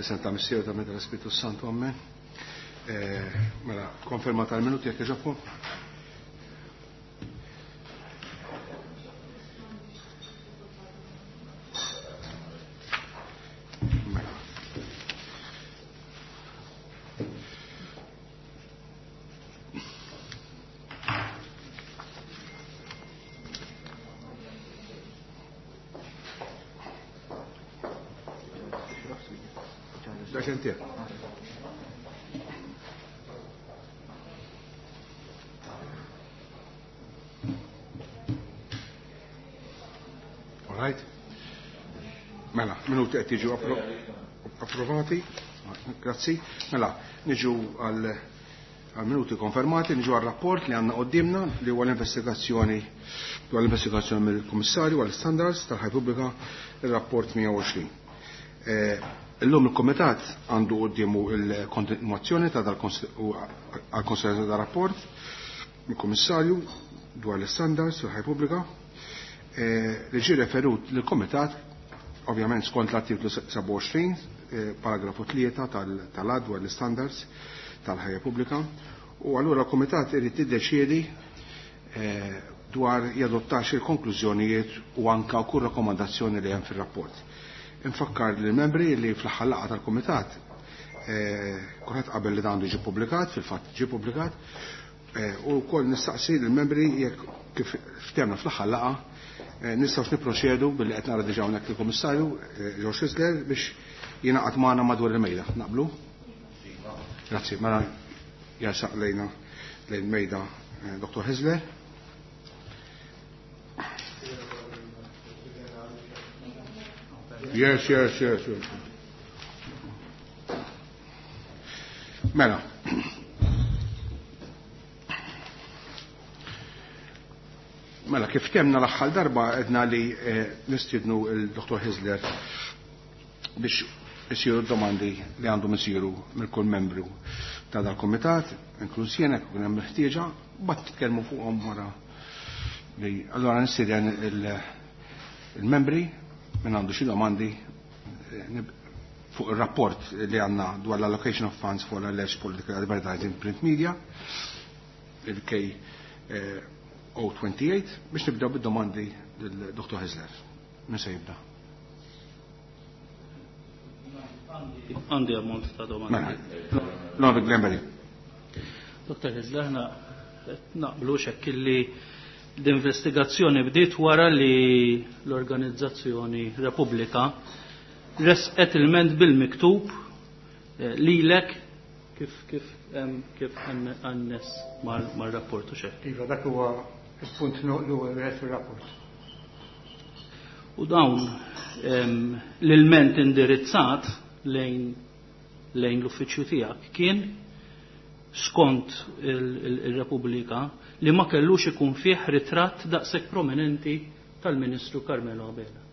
Fl-isem ta' Missier ta' Meta l-Ispiritu Santu, Amen. Eh, mela, konferma tal-minuti jekk iġobkom. Mela. Dak inti. All right. Mela, minuti qed jiġu approvati. Grazzi. Mela, niġu għal għal minuti konfermati, niġu għal rapport li għandna qoddimna li huwa l-investigazzjoni dwar l-investigazzjoni mill-Kummissarju għal standards tal-ħaj pubblika il-rapport 120. Eh, illum il-Komitat għandu qoddimu il-kontinuazzjoni ta' dal-konsiderazzjoni ta' rapport mill-Kummissarju dwar l-standards tal-ħaj pubblika eh, li ġie referut lill-Komitat ovvjament skont l-artiklu 27 eh, paragrafu 3 tal-ad dwar l-standards tal-ħajja pubblika u allura l-Kumitat irid jiddeċiedi eh, dwar jadottax il-konklużjonijiet u anka kull rakkomandazzjoni li hemm fir-rapport. Infakkar lill membri li fl-aħħar laqgħa tal-Kumitat eh, kulħadd qabel li dan għandu ġie pubblikat, fil-fatt ġie pubblikat, eh, u wkoll nistaqsi lill-membri jekk kif ftemna fl-aħħar laqgħa nistgħux nipproċedu billi qed nara diġà hawnhekk il-Kummissarju George Hyzler biex jingħaqad magħna madwar il-mejda. Naqblu? Grazzi, mela jasaq lejna lejn mejda Dr. Hyzler. Yes, yes, yes, yes. Mela. Mela, kif temna l-aħħar darba edna li nistiednu il-Dr. Hyzler biex isiru domandi li għandhom isiru mill kull membru ta' dal-komitat, inkluż jiena jekk ikun hemm ħtieġa, bat titkellmu fuqhom wara li allura nistieden il-membri minn għandu xi domandi fuq ir-rapport li għandna dwar l-allocation of funds for alleged political advertising print media, il-K 028, biex nibdew bid-domandi lil-Dr. Hyzler. Min se jibda? Għandi ammont ta' domandi. Mela, Lord Glenbury. Dr. Hyzler, aħna naqblu xekk illi l-investigazzjoni bdiet wara li l-organizzazzjoni Repubblika resqet il-ment bil-miktub lilek kif kif kif għannes mar-rapport u xekk. Iva, dak huwa il-punt l-ewwel wieħed fir-rapport. U dawn l-ilment indirizzat lejn l-uffiċċju tiegħek kien skont il-Repubblika li ma kellux ikun fih ritratt daqshekk prominenti tal-Ministru Carmelo Abela.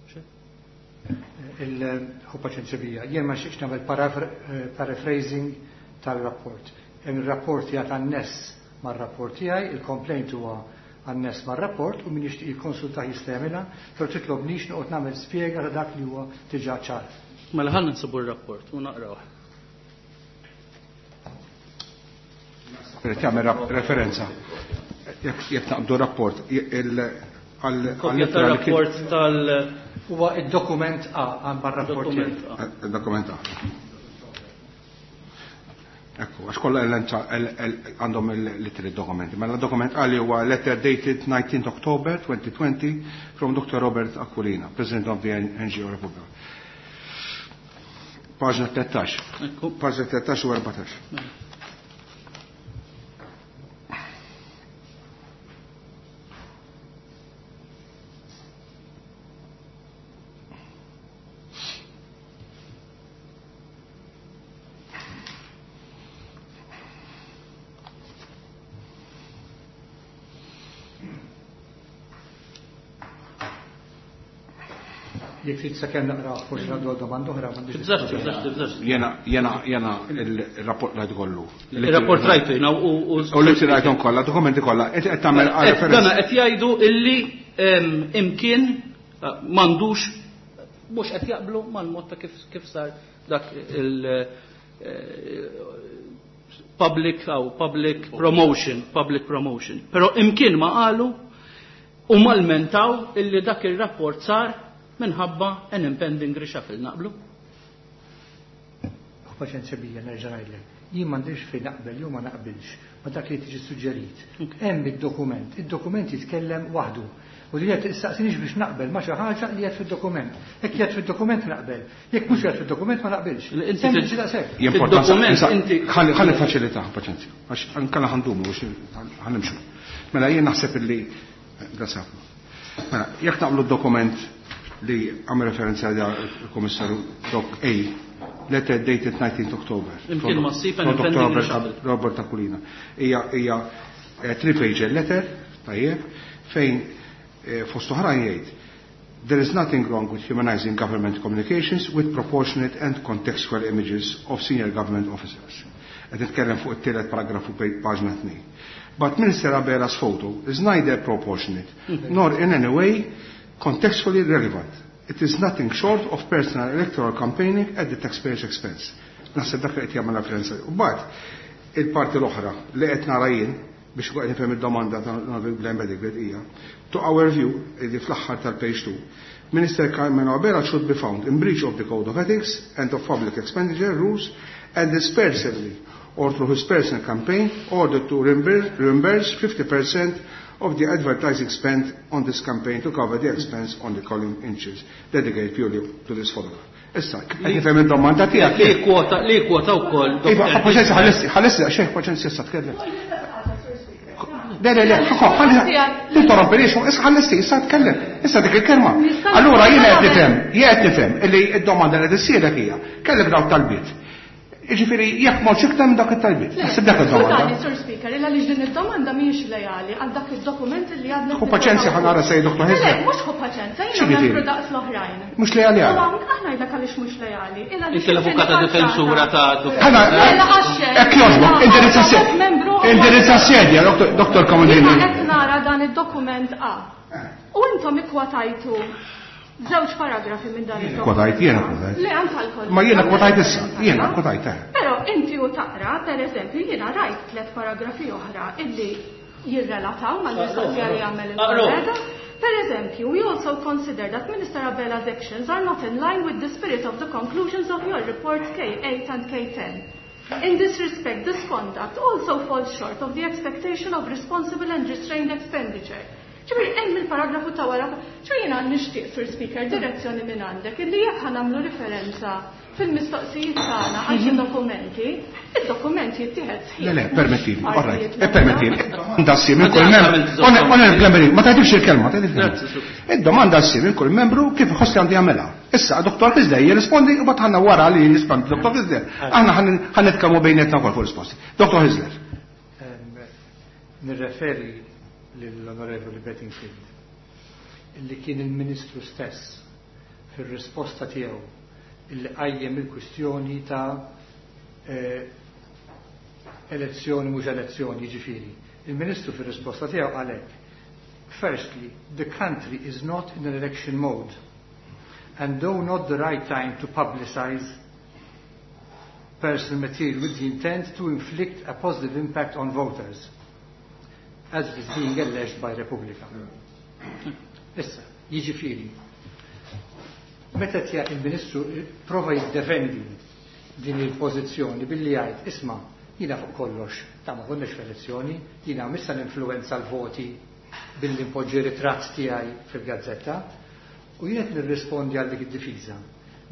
Il-ħu paċenzja bija. Jien ma xiex nagħmel paraphrasing tal-rapport. Hemm il-rapport jgħat anness mar-rapport tiegħi, il-complaint huwa anness mar-rapport u min jixtieq jikkonsulta jista' jagħmilha, però titlobnix noqgħod nagħmel spjega ta' dak li huwa diġà ċar. Mela ħalli nsibu r-rapport u naqrawh. Irid jagħmel referenza. Jekk naqbdu rapport Kopja tar-rapport tal- Huwa id-dokument A għal mar-rapport. Dokument A. Il-dokument A. Ekku, għax kollha għandhom il-litri dokumenti. Mela dokument A li huwa letter dated 19 October 2020 from Dr. Robert Aquilina, President of the NGO Republic. Paġna 13. Ekku. Paġna 13 u 14. Mela. Jek trid sakemm naqra forsi għandu domanda oħra, m'għandix Tibżax, tibżax, tibżax. Jena, jena, jena il-rapport rajt kollu. Il-rapport rajtu jiena u U li rajthom kollha, dokumenti kollha, qed qed tagħmel referenza. Dana qed jgħidu illi imkien m'għandux mhux qed jaqblu mal-mod ta' kif sar dak il- public aw public promotion, public promotion. Però imkien ma qalu u malmentaw illi dak ir-rapport sar minħabba an impending reshuffle, naqblu? Paċenzja bija nerġa' ngħidlek. Jien m'għandix fejn naqbel jew ma naqbilx ma dak li tiġi suġġerit. Hemm id-dokument, id-dokument jitkellem waħdu. U li qed issaqsinix biex naqbel ma xi ħaġa li qed fid-dokument. Jekk qiegħed fid-dokument naqbel, jekk mhux qiegħed fid-dokument ma naqbilx. Sempliċi daqshekk. Fid-dokument inti Ħalli faċilità, paċenzja, għax ankella ħandumu biex ħanimxu. Mela jien naħseb illi grazzi ħafna. Mela, jekk naqblu d-dokument li għam referenza għal il-Komissarju Doc A, letter dated 19th October. Imkien ma ssib From an Dr. impending Robert reshuffle. Robert Aquilina. Hija three-page letter, tajjeb, fejn fost oħrajn jgħid There is nothing wrong with humanizing government communications with proportionate and contextual images of senior government officers. Qed nitkellem fuq it-tielet paragrafu paġna 2. But Minister Abela's photo is neither proportionate nor in any way contextually relevant. It is nothing short of personal electoral campaigning at the taxpayer's expense. Naħseb dak li qed jagħmel referenza. U mbagħad il-parti l-oħra li qed nara jien biex qed nifhem id-domanda ta' Glenn Bedingfield hija to our view, li fl-aħħar tal-page 2, Minister Carmelo Abela should be found in breach of the Code of Ethics and of Public Expenditure Rules and is personally or through his personal campaign ordered to reimburse 50% of the advertising spent on this campaign to cover the expense on the column inches dedicated purely to this photograph. Issa, qed nifhem id-domanda tiegħek. Li kwota, li kwota wkoll. Iva, paċenzja, ħalessi, ħalessi, xejn paċenzja issa tkellem. Le, le, le, ħalli, tinterrompilix, issa ħalessi, issa tkellem, issa dik il-kelma. Allura jiena qed nifhem, jien qed nifhem illi d-domanda li tissirek hija, kellek dawn talbiet. Jiġifieri jekk m'hawnx iktar minn dak it-talbiet. Naħseb dak id-domanda. Skużani, Sir Speaker, illa li din id-domanda mhijiex lejali għal dak id-dokument li għadna. Ħu paċenzja ħa nara sej Dr. Le, Hizler. mhux ħu paċenzja, jiena X'jiġifieri? membru daqs l-oħrajn. Mhux lejali U għal. hawn aħna ngħidlek għaliex mhux lejali. Illa li Inti l-avukata difensura ta' Dr. Ħana, Mela għax hekk jogħġbok, indirizza sedja. Indirizza sedja, Dr. Comodini. Jiena qed nara dan id-dokument A. U intom ikkwotajtu żewġ paragrafi minn dan id-dokument. Kwotajt, jiena kwotajt. Le, anke l-kollega. Ma jiena kwotajt issa, jiena kwotajt, eh. Però inti u taqra, per eżempju, jiena rajt tliet paragrafi oħra illi jirrelataw mal-mistoqsija li għamel il-kollega. Per eżempju, we also consider that Minister Abela's actions are not in line with the spirit of the conclusions of your reports K8 and K10. In this respect, this conduct also falls short of the expectation of responsible and restrained expenditure. Ġifieri, hemm il-paragrafu ta' wara, ġifieri jiena nixtieq, Sir Speaker, direzzjoni minn għandek illi jekk ħa nagħmlu referenza fil-mistoqsijiet tagħna għal xi dokumenti, id-dokument jittieħed sħiħ. Le, le, permettili, all right, Partijiet l-oħra. permettili. Domanda ssir minn kull membru. Onorevoli Glenn, ma tgħidix il-kelma, ma tgħidix il-kelma. Grazzi, Sur. Id-domanda ssir minn kull membru kif iħoss li għandu jagħmilha. Issa, Dr. Kizlej jirrispondi u bagħad ħanna wara li jirrispondi Dr. Kizlej. Aħna ħan nitkellmu bejnietna wkoll fuq risposti. Dr. Kizlej. Nirreferi lill-Onorevoli Bedingfield illi kien il-Ministru stess fir-risposta tiegħu illi qajjem il-kwistjoni ta' elezzjoni mhux elezzjoni, jiġifieri. Il-Ministru fir-risposta tiegħu qal hekk: Firstly, the country is not in an election mode, and though not the right time to publicize personal material with the intent to inflict a positive impact on voters, as it is being alleged by Repubblika. Issa, jiġifieri, meta tja il-Ministru prova jiddefendi din il-pożizzjoni billi jgħid, isma', jiena fuq kollox, ta' ma konniex f'elezzjoni, jiena missa ninfluwenza l-voti billi npoġġi ritratt tiegħi fil-gazzetta, u jien qed nirrispondi għal dik id-difiża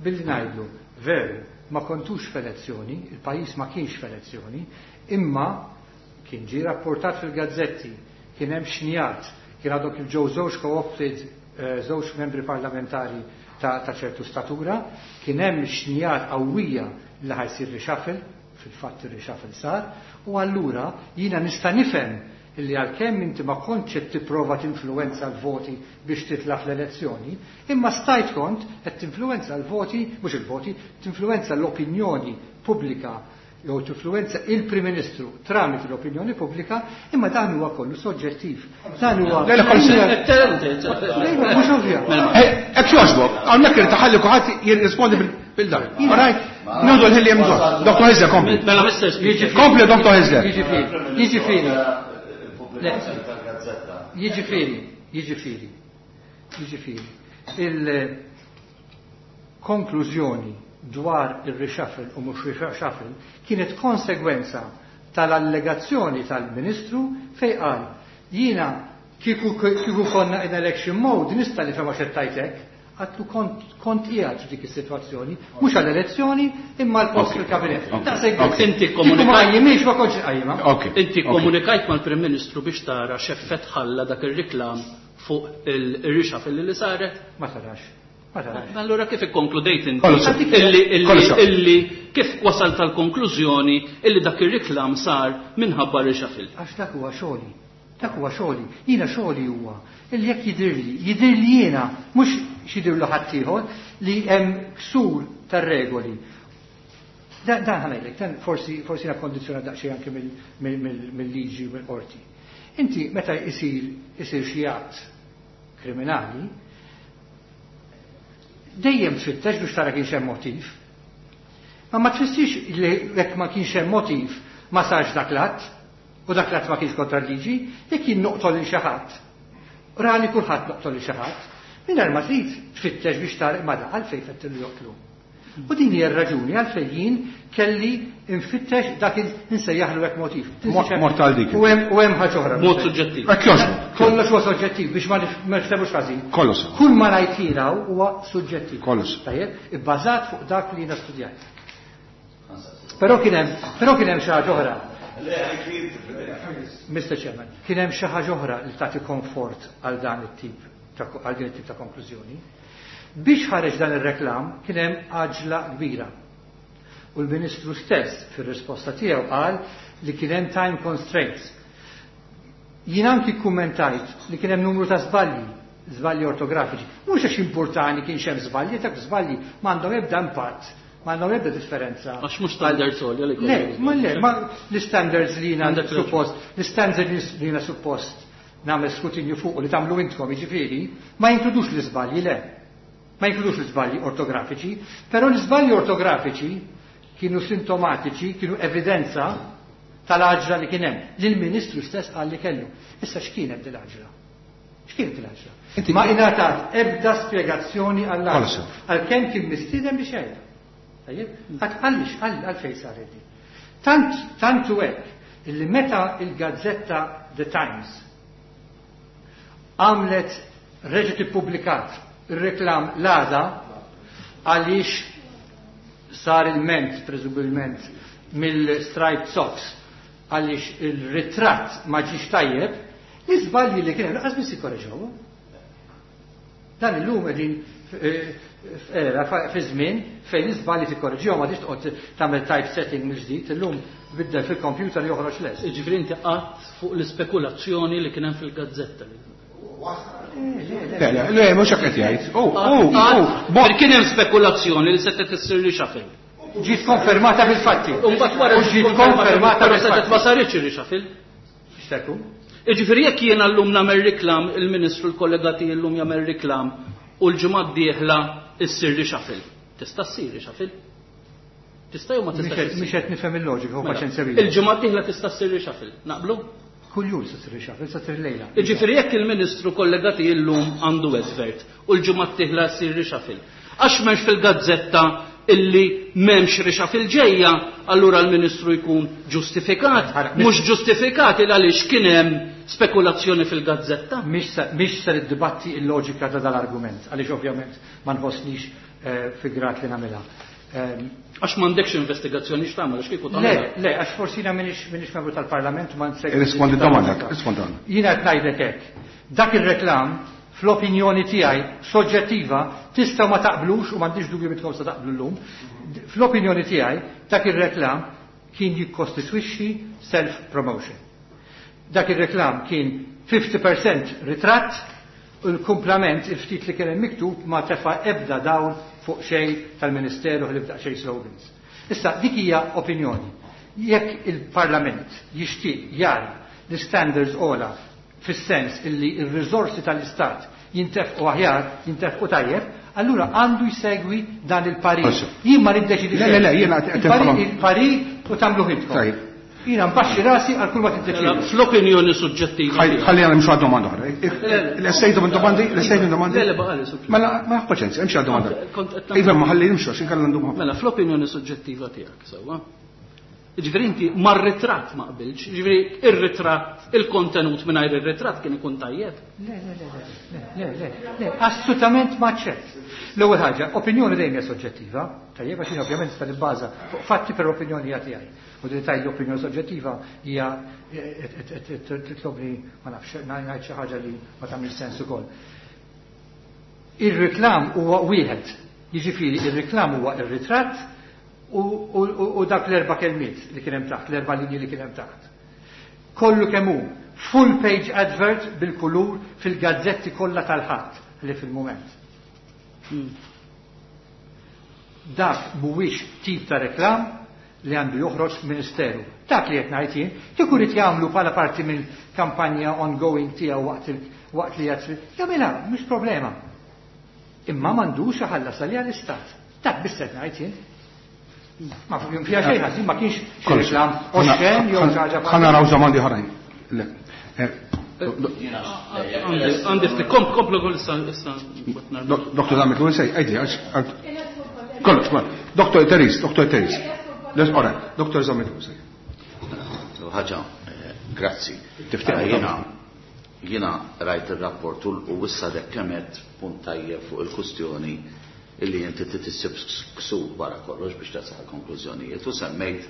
billi ngħidlu, veru, ma kontux f'elezzjoni, il-pajjiż ma kienx f'elezzjoni, imma kien ġie rapportat fil-gazzetti, kien hemm xnijat, kien għadhom kif ġew żewġ co-opted, żewġ membri parlamentari ta' ċertu statura, kien hemm xnijat qawwija li ħajsir reshuffle, fil-fatt ir-reshuffle sar, u allura jiena nista' nifhem illi għalkemm inti ma kontx qed tipprova tinfluwenza l-voti biex titla' fl-elezzjoni, imma stajt kont qed tinfluwenza l-voti, mhux il-voti, tinfluwenza l-opinjoni pubblika jew tinfluwenza il-Prim Ministru tramite l-opinjoni pubblika, imma dan huwa kollu soġġettiv. Dan huwa. Le, Mhux ovvja. Hekk jogħġbok, hawnhekk irid taħalli kulħadd jirrispondi bil-dan. All right? Nieħdu l-ħin li hemm bżonn. Dr. Hizler, kompli. Mela, Mr. Speaker. Kompli, Dr. Hizler. Jiġifieri. Jiġifieri, jiġifieri, jiġifieri. Il-konklużjoni dwar il-reshuffle u mhux reshuffle kienet konsegwenza tal-allegazzjoni tal-Ministru fej qal jiena kieku konna in election mode nista' nifhem għax qed hekk, għatlu kont qiegħed f'dik is-sitwazzjoni, mhux għall-elezzjoni imma l-post fil-kabinett. Inti komunikajt ma kontx qajjima. Inti komunikajt mal-Prim Ministru biex tara x'effett ħalla dak ir-riklam fuq il-reshuffle li saret? Ma tarax. Allora kif ikkonkludejt inti illi kif wasalt tal-konklużjoni illi dak ir-riklam sar minħabba reshuffle? Għax dak huwa xogħli. Dak huwa xogħli. Jiena xogħli huwa illi jekk jidhirli, jidhirli jiena mhux x'jidhirlu ħaddieħor li hemm ksur tar-regoli. Dan ħa ngħidlek, dan forsi forsi kondizzjonat daqsxejn anke mill-liġi u mill-qorti. Inti meta isir xi att kriminali, dejjem tfittex biex tara kienx hemm motiv. Ma tfissirx li jekk ma kienx hemm motiv ma sarx dak l-att, u dak l-att ma kienx kontra l-liġi, jekk jien noqtol lil xi ħadd. Rali kulħadd noqtol lil xi ħadd, mingħajr ma trid tfittex biex tara ma da għalfejn fettillu joqtlu. U din hija r-raġuni għalfejn jien kelli nfittex dak insejjaħlu hekk motiv. Mort għal dik. U hemm ħaġa oħra. Mod suġġettiv. Hekk jogħġbok. Kollox huwa soġġettiv biex ma nifhmux ħażin. Kollox. Kull ma ngħid jiena huwa suġġettiv. Kollox. Tajjeb, ibbażat fuq dak li jiena studjat. Però kien hemm xi ħaġa oħra. Mr. Chairman, kien hemm xi ħaġa oħra li tagħti komfort għal dan it-tip għal din it-tip ta' konklużjoni. Biex ħareġ dan ir-reklam kien hemm għaġla kbira. U l-Ministru stess fir-risposta tiegħu qal li kien hemm time constraints. Jien anki kkummentajt li kien hemm numru ta' żbalji, żbalji ortografiċi. Mhux għax importani kienx hemm żbalji, dak żbalji m'għandhom ebda impatt, m'għandhom ebda differenza. Għax mhux standards għolja li Le, ma le, ma l-standards li jiena suppost, l-standards li jiena suppost nagħmel skrutinju fuq li tagħmlu intkom jiġifieri, ma jinkludux l-iżbalji, le. Ma jinkludux l-iżbalji ortografiċi, però l-iżbalji ortografiċi kienu sintomatiċi, kienu evidenza tal-għaġla li kien hemm, li l-Ministru stess qal li kellu. Issa x'kienet din l-għaġla? X'kienet l-għaġla? Ma ingħatat ebda spjegazzjoni għall-għaġla. Għalkemm kien mistieden biex jgħidha. Tajjeb? Għaliex, għalfejn saret din. Tant u hekk illi meta il-gazzetta The Times għamlet reġgħet ippubblikat ir-reklam l-għada għaliex sar il-ment, presumibilment, mill-striped socks għaliex il-ritratt ma ġiex tajjeb, l-iżbalji li kien hemm lanqas biss ikkoreġewhom. Dan illum qegħdin f'era fi żmien fejn l-iżbalji tikkoreġihom ma tix toqgħod tagħmel typesetting mill-ġdid, illum tbiddel fil-computer joħroġ lest. Jiġifieri inti qatt fuq l-ispekulazzjoni li kien hemm fil-gazzetta. Le, le, le, mhux hekk qed jgħid. Oh, oh, oh. Kien hemm spekulazzjoni li setgħet issir reshuffle. Ġiet konfermata bil-fatti. U mbagħad wara ġiet konfermata bil-fatti. Ma saritx ir-reshuffle. X'tekku? Jiġifieri jekk jiena llum nagħmel riklam, il-Ministru l-kollega tiegħi llum jagħmel riklam u l-ġimgħa d-dieħla issir reshuffle. Tista' ssir reshuffle? Tista' jew ma tistax? Mhux qed nifhem il-loġika, u paċenzja bija. Il-ġimgħa d-dieħla tista' ssir reshuffle. Naqblu? Kull jum se ssir reshuffle, se ssir lejla. Jiġifieri jekk il-Ministru kollega tiegħi llum għandu advert u l-ġimgħa d-dieħla ssir reshuffle. Għax m'hemmx fil-gazzetta illi m'hemmx reshuffle ġejja, allura l-Ministru jkun ġustifikat, mhux ġustifikat il għaliex kien hemm spekulazzjoni fil-gazzetta. Mhix ser iddibatti il-loġika ta' dal-argument, għaliex ovvjament ma nħossnix fi grad li nagħmilha. Għax m'għandekx investigazzjoni x'tagħmel, għax kieku tagħmel. Le, le, għax forsi jiena m'iniex membru tal-Parlament ma nsegwi. Irrispondi domanda, rispondi. Jiena qed ngħidlek hekk. Dak ir-reklam fl-opinjoni tiegħi soġġettiva tistgħu ma taqblux u m'għandix dubju mitkom se taqblu llum. Fl-opinjoni tiegħi dak ir-reklam kien jikkostitwixxi self-promotion. Dak ir-reklam kien 50% ritratt u l-kumplament il-ftit li kien hemm miktub ma tefa' ebda dawl fuq xejn tal-Ministeru li bda xejn slogans. Issa dik hija opinjoni. Jekk il-Parlament jixtieq jara l-standards ogħla fis-sens illi r-riżorsi tal-Istat jintefqu aħjar, jintefqu tajjeb, allura għandu jsegwi dan il-parir. Jien ma niddeċidi Le, le, le, jiena qed Il-parir u tagħmluh intkom. Tajjeb. Jiena nbaxxi rasi għal kull ma tiddeċidu. Mela, fl-opinjoni suġġettiva. Ħalli għal nimxu għad domanda oħra. L-estejtu minn domandi, l-estejtu minn domandi. Le, le, baqali suġġettiva. Mela, ma paċenzja, imxi għad domanda. Iva, ma ħalli nimxu, għax inkella ndum. Mela, fl-opinjoni suġġettiva tiegħek, sewwa. Ġifieri inti mar-ritratt ma qbilx, ġifieri ir-ritratt, il-kontenut mingħajr ir-ritratt kien ikun tajjeb. Le, le, le, le, le, le, le, assolutament ma ċert. L-ewwel ħaġa, opinjoni dejjem hija soġġettiva, tajjeb għax jien ovvjament nista' nibbaża fuq fatti per opinjoni hija tiegħi. U din tgħid l-opinjoni soġġettiva hija titlobni ma nafx ngħid xi ħaġa li ma tagħmilx sens ukoll. Ir-reklam huwa wieħed, jiġifieri ir-reklam huwa ir-ritratt u dak l-erba' kelmiet li kien hemm taħt, l-erba' linji li kien hemm taħt. Kollu kemm hu full page advert bil-kulur fil-gazzetti kollha tal-Ħadd li fil-mument. Dak mhuwiex tip ta' reklam li għandu joħroġ ministeru. Dak li qed ngħid jien, kieku rid jagħmlu bħala parti mill-kampanja ongoing tiegħu waqt waqt li qed jagħmilha, mhux problema. Imma m'għandux iħallas għaliha l-Istat. Dak biss qed ngħid jien. Ma fiha xejn ħażin ma kienx xi reklam oxxen jew xi ħaġa. Ħa naraw domandi oħrajn. Le. Għandi ftit komplu kull issa issa. Dr. Zammit Lewis, għidli għax. Kollox, kollox. Dr. Teris, Dr. Teris. Ora, Dr. Zammit Lewis. Ħaġa, grazzi. Tiftaħ Jiena jiena rajt ir-rapport u issa dek kemet punt tajjeb fuq il-kustjoni illi inti trid issib ksur wara kollox biex tasal konklużjonijiet u semmejt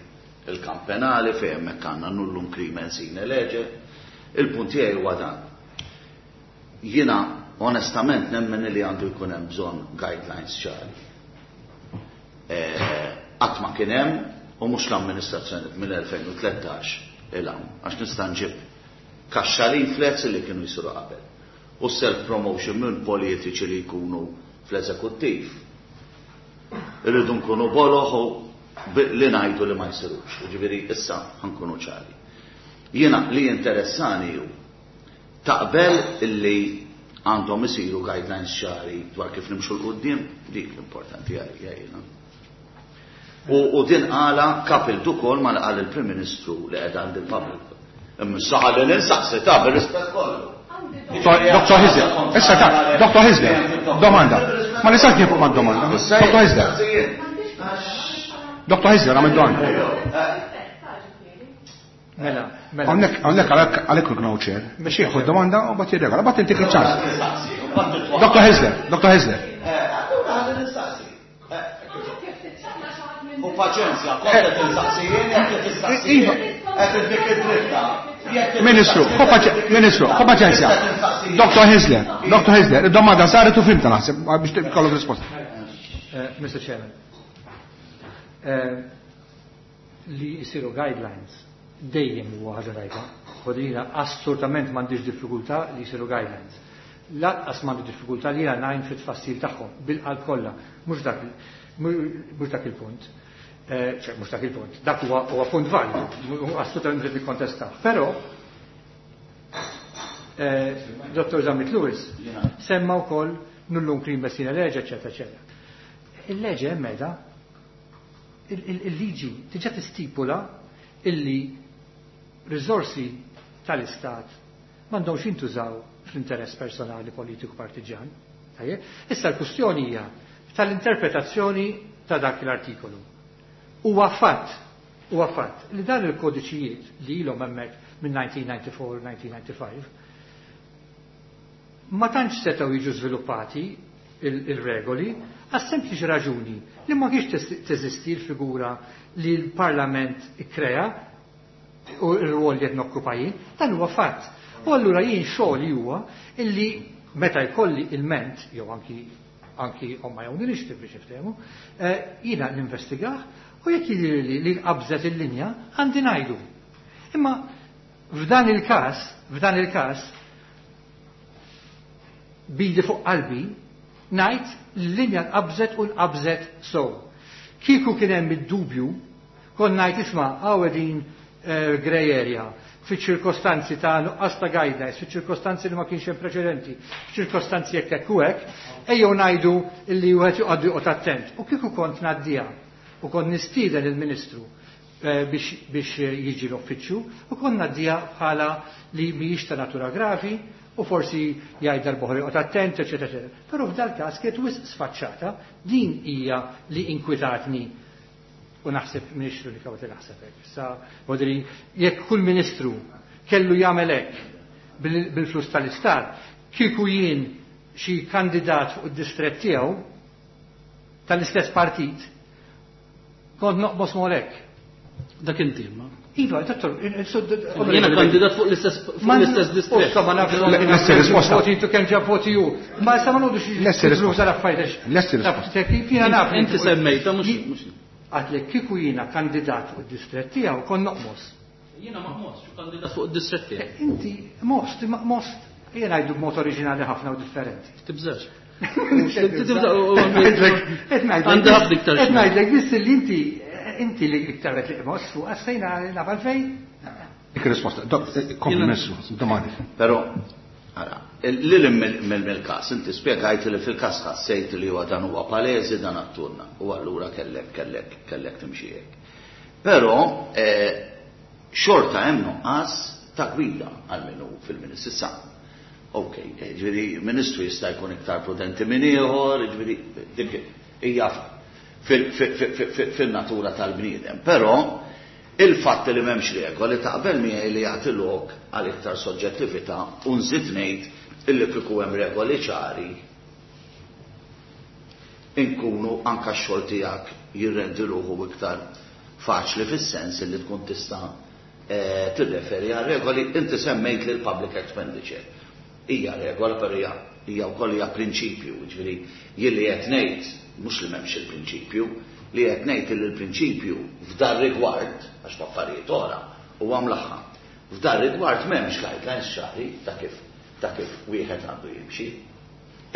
il-kamp penali fejn hemmhekk għandna nullum crimen sine lege. Il-punt tiegħi huwa dan. Jiena onestament nemmen li għandu jkun hemm bżonn guidelines ċari. Qatt ma kien hemm u mhux l-amministrazzjoni mill-2013 il hawn għax nista' nġib kaxxa leaflets li kienu jsiru qabel. U self-promotion minn politiċi li jkunu fl-eżekuttiv. Irridu nkunu boloħ u li ngħidu li ma jsirux. Ġifieri issa ħankunu ċari. Jiena li interessani hu taqbel illi għandhom isiru guidelines ċari dwar kif nimxu 'l quddiem, dik l-importanti għalija jiena. U din qala coupled ukoll ma qal il-Prim Ministru li qed għand il-public. Imma saħal li ninsaqsi ta' bir-rispett kollu. Dr. Hyzler, issa ta' Dr. Hyzler, domanda. Ma nistax nieqfu ma' domanda. Dr. Hyzler. Dr. Hyzler, għamil domanda. Mela, mela. Hawnhekk għalhekk ikun ċer, biex jieħu domanda u bat jirregola, bat intik il-ċans. Dr. Hyzler, Dr. Hyzler. U paċenzja, kont qed insaqsi jien jekk qed tistaqsi. Qed dik id-dritta. Ministru, Ministru, ħu paċenzja. Dr. Hyzler, Dr. Hyzler, id-domanda saret u fhimtha naħseb biex tkollok risposta. Mr. Chairman, li jisiru guidelines dejjem huwa ħaġa tajba. Ħodrina assolutament m'għandix diffikultà li jsiru guidelines. Lanqas m'għandi diffikultà li jiena ngħin fit-tfassil tagħhom bil-qalb kollha, mhux dak mhux dak il-punt. Ċe, mhux dak il-punt. Dak huwa punt validu, assolutament rrid nikkontestah. Però Dr. Zammit Lewis semma wkoll nullum crimen sine lege, eċetera, eċetera. Il-leġe hemm meta il-liġi diġà tistipula illi riżorsi tal-Istat m'għandhomx jintużaw fl-interess personali politiku partiġan. Tajjeb? Issa l-kwistjoni hija tal-interpretazzjoni ta' dak l-artikolu. Huwa fatt li dan il-kodiċijiet li ilhom hemmhekk minn 1994-1995 ma tantx setgħu jiġu żviluppati il-regoli għas sempliċi raġuni li ma kienx teżisti l-figura li l-Parlament ikkrea u r-rwol li qed nokkupa jien, dan huwa fatt. U allura jien xogħli huwa illi meta jkolli il-ment jew anki on my own initiative biex niftehmu, jiena ninvestigah u jekk jidhirli li qabżet il-linja għandi ngħidu. Imma f'dan il-każ bidi fuq qalbi ngħid l-linja nqabżet u nqabżet sew. Kieku kien hemm id-dubju Kont ngħid isma' hawn qegħdin grey area fiċ-ċirkostanzi ta' nuqqas ta' guidelines, fiċ-ċirkostanzi li ma kienx hemm preċedenti, fiċ-ċirkostanzi hekk hekk u hekk, ejjew ngħidu li wieħed joqgħod joqgħod attent. U kieku kont ngħaddiha u kont nistieden il-Ministru biex jiġi l-uffiċċju u kont ngħaddiha bħala li mhijiex ta' natura gravi u forsi jgħid darb'oħra joqgħod attent, eċetera, eċetera. Però f'dal-każ kienet wisq sfaċċata, din hija li inkwitatni u naħseb ministru li kawti naħseb hekk. Issa vodri jekk kull ministru kellu jagħmel hekk bil-flus tal-istat, kieku jien xi kandidat fuq id-distrett tiegħu tal-istess partit, kont noqbos molek. Dak inti imma. Iva, dottor, Jiena kandidat fuq l-istess distrett. Ma nafx Lesti risposta. Voti tu kemm ġab voti hu. Ma issa ma nodux Lesti risposta. l-affarijiet. Lesti risposta. Jiena naf. Inti semmejta mhux. Għatlek kieku jiena kandidat fuq id-distrett tiegħu kont noqmos. Jiena ma ħmosx kandidat fuq id-distrett tiegħu. Inti most, most, jiena ngħidu b'mod oriġinali ħafna u differenti. Tibżax. Għandha ħafna iktar. Qed ngħidlek biss li inti inti li iktar qed li qmos fuq għassejna naf għalfejn. Dik risposta. Kompli Ministru, domandi. Però ara, lil mill-każ inti spjegajt li fil-każ ħassejt li huwa dan huwa palesi dan atturna u allura kellek kellek kellek timxi hekk. Però xorta hemm nuqqas ta' gwida għal minnu fil-Ministru. Issa, ok, ġifieri Ministru jista' jkun iktar prudenti minn ieħor, ġifieri dik hija fil-natura tal-bniedem. Però il-fatt li m'hemmx regoli taqbel miegħi li jagħti lok għal iktar soġġettività u nżid ngħid illi kieku hemm regoli ċari inkunu anka x-xogħol tiegħek jirrendi ruħu iktar faċli fis-sens li tkun tista' tirreferi għal regoli. Inti semmejt lil public expenditure. Hija regola però hija wkoll hija prinċipju, jiġifieri jien li qed ngħid mhux li m'hemmx il-prinċipju, li qed ngħid li l-prinċipju f'dar rigward, għax f'affarijiet oħra huwa mlaħħam. F'dar rigward m'hemmx guidelines ċari ta' kif wieħed għandu jimxi.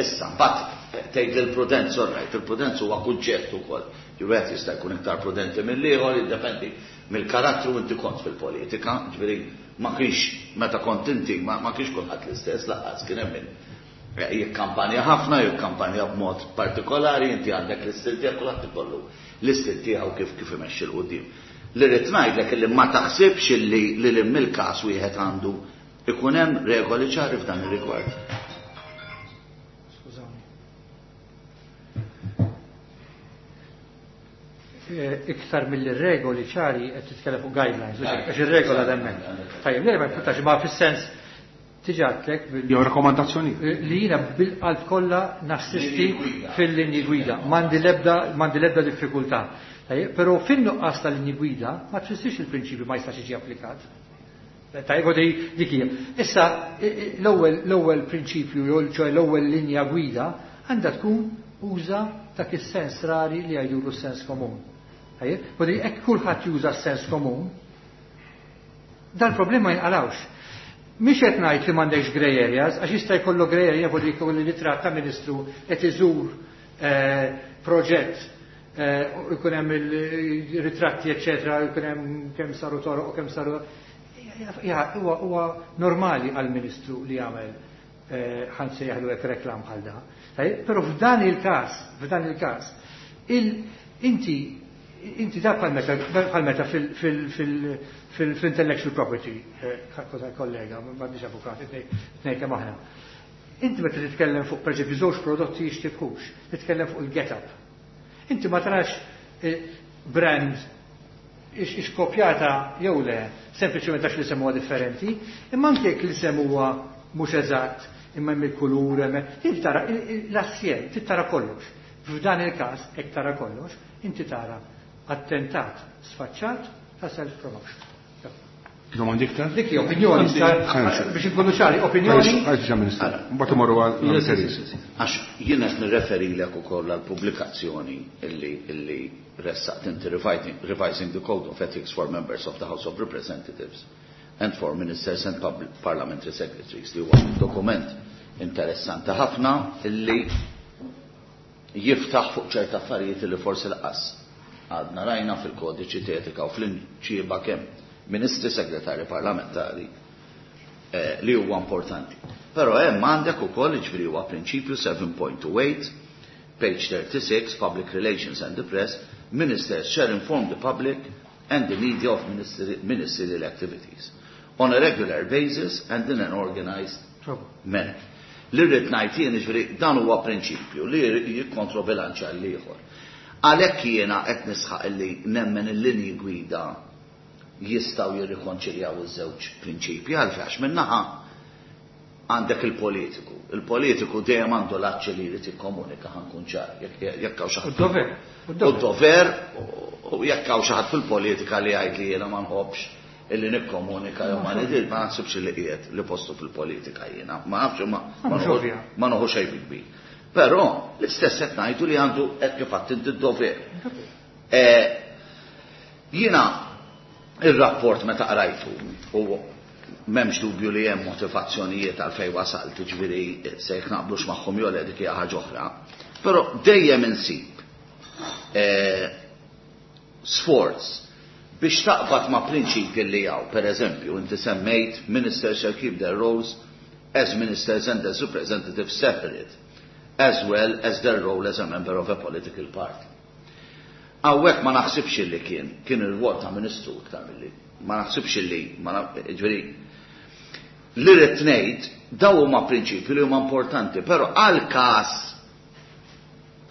Issa mbagħad tgħid li l-prudenza, all right, il-prudenza huwa kunċett ukoll. Wieħed jista' jkun iktar prudenti mill-ieħor, jiddependi mill-karattru inti kont fil-politika, ġifieri ma kienx meta kont inti ma kienx kulħadd l-istess lanqas kien hemm min jikkampanja ħafna, jikkampanja b'mod partikolari, inti għandek l-istil tiegħek, kulħadd ikollu l-istil tiegħu kif imexxi 'l quddiem. Li rrid ngħidlek illi ma taħsibx illi lil hemm il-każ wieħed għandu ikun hemm regoli ċari f'dan ir-rigward. Skużawni. Iktar mill-regoli ċari qed titkellem fuq guidelines, għax ir-regola hemmhekk. Tajjeb, le ma jfutax ma fis-sens tiġatlek jew rakkomandazzjoni li jiena bil-qalb kollha nassisti fil-linji gwida. M'għandi l-ebda diffikultà. Tajjeb, però fin-nuqqas tal-linji gwida ma tfissirx il-prinċipju ma jistax jiġi applikat. Tajjeb, dik hija. Issa l-ewwel prinċipju jew ċoe l-ewwel linja gwida għandha tkun uża dak is-sens rari li jgħidulu s-sens komun. Tajjeb, u hekk kulħadd juża s-sens komun, dal-problema ma jinqalawx. Mhix qed ngħid li m'għandekx grey areas, għax jista' jkollu grey area fuq dik li ritratt ta' ministru qed iżur proġett u jkun hemm il-ritratti eċetera, jkun hemm kemm saru toroq u kemm saru. Huwa normali għall-ministru li jagħmel ħan sejjaħlu hekk reklam bħal da. Però f'dan il-każ, inti da bħal meta fil-intellectual property, kollega, m'għandix avukat, tnej kemm aħna. Inti meta titkellem fuq pereżempju żewġ prodotti jixtibħux, titkellem fuq il-get-up. Inti ma tarax brand ix kopjata jew le, sempliċement għax l-isem huwa differenti, imma anke jekk l-isem huwa mhux eżatt, imma hemm il-kulur, inti tara l-assjem, inti tara kollox. F'dan il-każ, hekk tara kollox, inti tara attentat sfaċċat ta' self-promotion. Domandi iktar? Dik hija opinjoni, biex inkunu ċari, opinjoni. Għalx Ministru, mbagħad imorru għal Teres. Għax jien qed nirreferilek ukoll għall-pubblikazzjoni illi ressaqt inti Revising the Code of Ethics for Members of the House of Representatives and for Ministers and Parliamentary Secretaries, li huwa dokument interessanti ħafna illi jiftaħ fuq ċerta affarijiet li forsi laqas. Għadna rajna fil-kodiċi t'etika u fl-imġiba kemm ministri, segretarji parlamentari li huwa importanti. Però hemm għandek ukoll, jiġifieri huwa prinċipju 7.28, page 36, Public Relations and the Press, Ministers shall inform the public and the media of ministerial activities on a regular basis and in an organized manner. Li rrid ngħid jien, jiġifieri dan huwa prinċipju li jikkontrobilanċja l-ieħor. Għalhekk jiena qed nisħaq illi nemmen il-linji gwida jistgħu jirrikonċiljaw iż-żewġ prinċipji, għalfejn għax min-naħa għandek il-politiku. Il-politiku dejjem għandu l-aċċ li jrid jikkomunika, ħa nkun ċar, jekk hawn xi ħadd. U d-dover. U d-dover, u jekk hawn xi ħadd fil-politika li jgħid li jiena ma nħobbx illi nikkomunika jew ma nidir, ma naħsibx li qiegħed li postu fil-politika jiena. Ma nafx, ma noħu xejn bi kbir. Però l-istess qed ngħidu li għandu hekk kif għedt inti d-dover. Jiena ir-rapport meta qrajtu u m'hemmx dubju li hemm motivazzjonijiet għal fejn wasalt, jiġifieri se jekk naqblux magħhom jew le dik hija ħaġa oħra, però dejjem insib sforz biex taqbad ma' prinċipji li hawn. Per eżempju, inti semmejt ministers shall keep their roles as ministers and as representatives separate, as well as their role as a member of a political party. Hawnhekk ma naħsibx li kien ir-rwol ta' ministru iktar milli, ma naħsibx li, ma ġifieri, li rrid ngħid daw huma prinċipji li huma importanti, però għal każ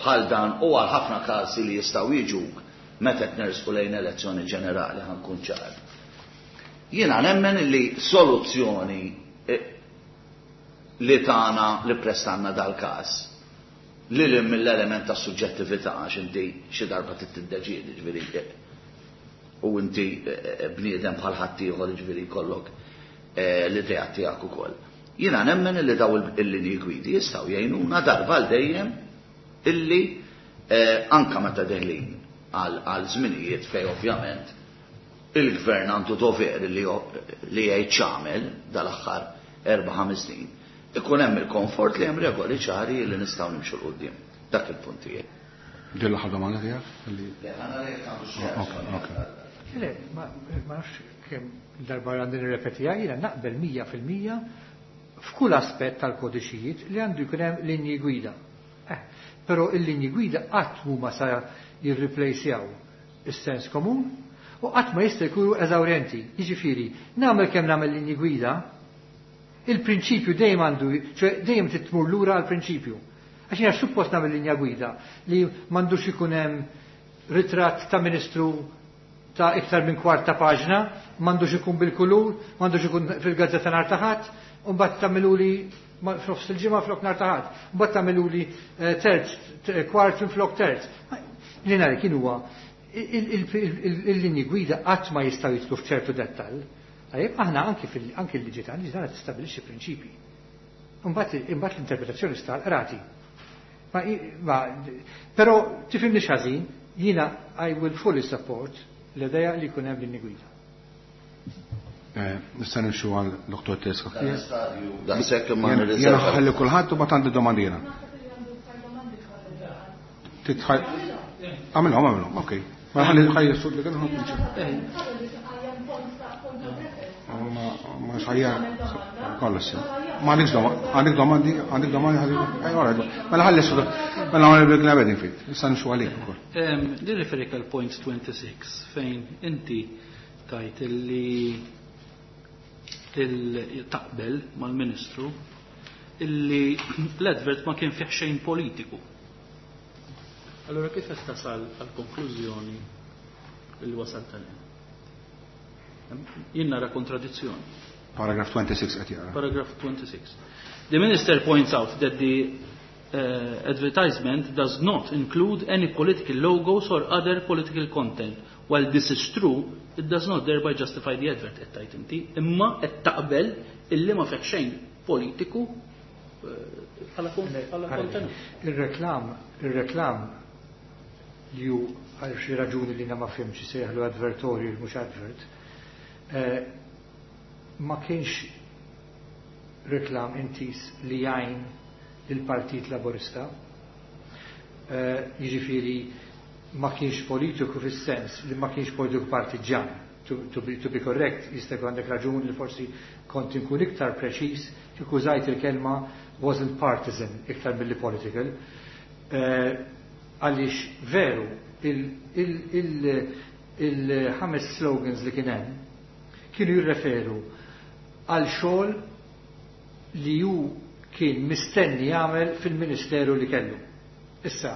bħal dan u għal ħafna każi li jistgħu jiġuk meta qed nersqu lejn elezzjoni ġenerali, ħa nkun ċar. Jiena nemmen li soluzzjoni li tagħna li prestanna dal-każ li li mill-element ta' suġġettività, għax inti xi darba trid tiddeċiedi, ġifieri, u inti bniedem bħal ħaddieħor, ġifieri jkollok l-idea tiegħek ukoll. Jiena nemmen li daw il-linji gwidi jistgħu jgħinuna darba għal dejjem illi anka meta deħlin għal żminijiet fej ovvjament il-gvern għandu dover li jgħid x'għamel dal-aħħar 4-5 snin, ikun hemm il-komfort li hemm regoli ċari li nistgħu nimxu 'l quddiem. Dak il-punt tiegħi. Din l-aħħar domanda tiegħek? Le, għana li jekk għandu xi Ok, ok. Le, ma nafx kemm darba għandi nirrepetiha, jiena naqbel 100% f'kull aspett tal-kodiċijiet li għandu jkun hemm linji gwida. Però il-linji gwida qatt huma sa jirreplacjaw is-sens komun u qatt ma jista' jkunu eżawrjenti. Jiġifieri, nagħmel kemm nagħmel linji gwida, il-prinċipju dejjem għandu, ċoè dejjem trid tmur lura għall-prinċipju. Għax jiena suppost nagħmel linja gwida li m'għandux ikun hemm ritratt ta' ministru ta' iktar minn kwart ta' paġna, m'għandux ikun bil-kulur, m'għandux ikun fil-gazzetta nhar ta' Ħadd, u mbagħad tagħmiluli f'nofs il-ġimgħa flok nhar ta' Ħadd, mbagħad tagħmiluli terz, kwart minn flok terz. Li nhar kien huwa il-linji gwida qatt ma jistgħu jidħlu f'ċertu dettall. Tajjeb, aħna anki l-liġi tagħna, liġi tagħna tistabbilixxi prinċipji. Imbagħad l-interpretazzjoni sta l-qrati. Però tifhimni ħażin, jiena I will fully support l-idea li jkun hemm linji gwida. Nista' nimxu għal Dr. Teska. Daqshekk imma Jiena nirriserva. ħalli kulħadd u mbagħad għandi domandina. Titħaj. Għamilhom, għamilhom, okej. Ma ħalli ħalli s-sud li kienu ħamlu. Ma xajja kollox. Ma għandekx domandi, għandek domandi, għandek domandi, ħalli, ej, ora, mela ħalli s-sud, mela għamil bil gnabedin fit, issa nimxu għalik ukoll. Nirreferik għal point 26 fejn inti tajt illi taqbel mal-ministru illi l-advert ma kien fih xejn politiku. Allora kif qed tasal għal konklużjoni li wasalt għalih? Jien nara kontradizzjoni. Paragraph 26 qed jara. Paragraph 26. The minister points out that the advertisement does not include any political logos or other political content. While this is true, it does not thereby justify the advert, qed tgħid inti, imma qed taqbel illi ma fih xejn politiku bħala kontenut. Il-reklam li hu għal xi raġuni li ma fhimx sejħlu advertorial mhux advert, ma kienx reklam intis li jgħin lill-Partit Laburista. Jiġifieri Ma kienx politiku fis-sens li ma kienx politiku partiġan. To be correct, jista' jkun għandek raġun li forsi kont inkun iktar preċiż kieku użajt il-kelma wasn't partisan iktar milli political. Għaliex veru il-ħames slogans li kien hemm kienu jirreferu għal xogħol li hu kien mistenni jagħmel fil-ministeru li kellu. Issa,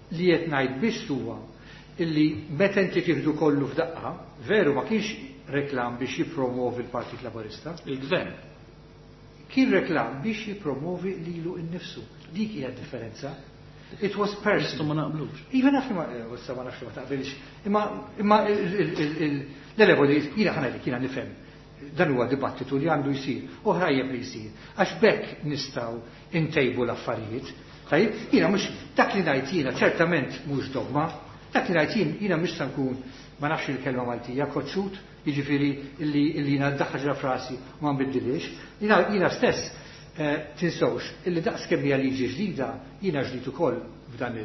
li qed ngħid biss huwa illi meta inti tieħdu kollu f'daqqa, veru ma kienx reklam biex jippromovi l-Partit Laburista. Il-Gvern. Kien reklam biex jippromovi lilu nnifsu. Dik hija d-differenza. It was personal. Ma naqblux. Iva naf li ma, issa ma nafx li ma taqbilx. Imma l-level jiena ħa ngħidlek, jiena nifhem. Dan huwa dibattitu li għandu jsir, u ħrajjeb li jsir, għax b'hekk nistgħu ntejbu l-affarijiet. Tajjeb, jiena mhux dak li ngħid jiena ċertament mhux dogma, dak li ngħid jien jiena mhux se nkun ma nafx il-kelma Maltija, koċċut, jiġifieri illi jiena ddaħħal ġra frasi u ma nbiddilhiex. Jiena stess tinsewx illi daqs kemm hija liġi ġdida, jiena ġdid ukoll f'dan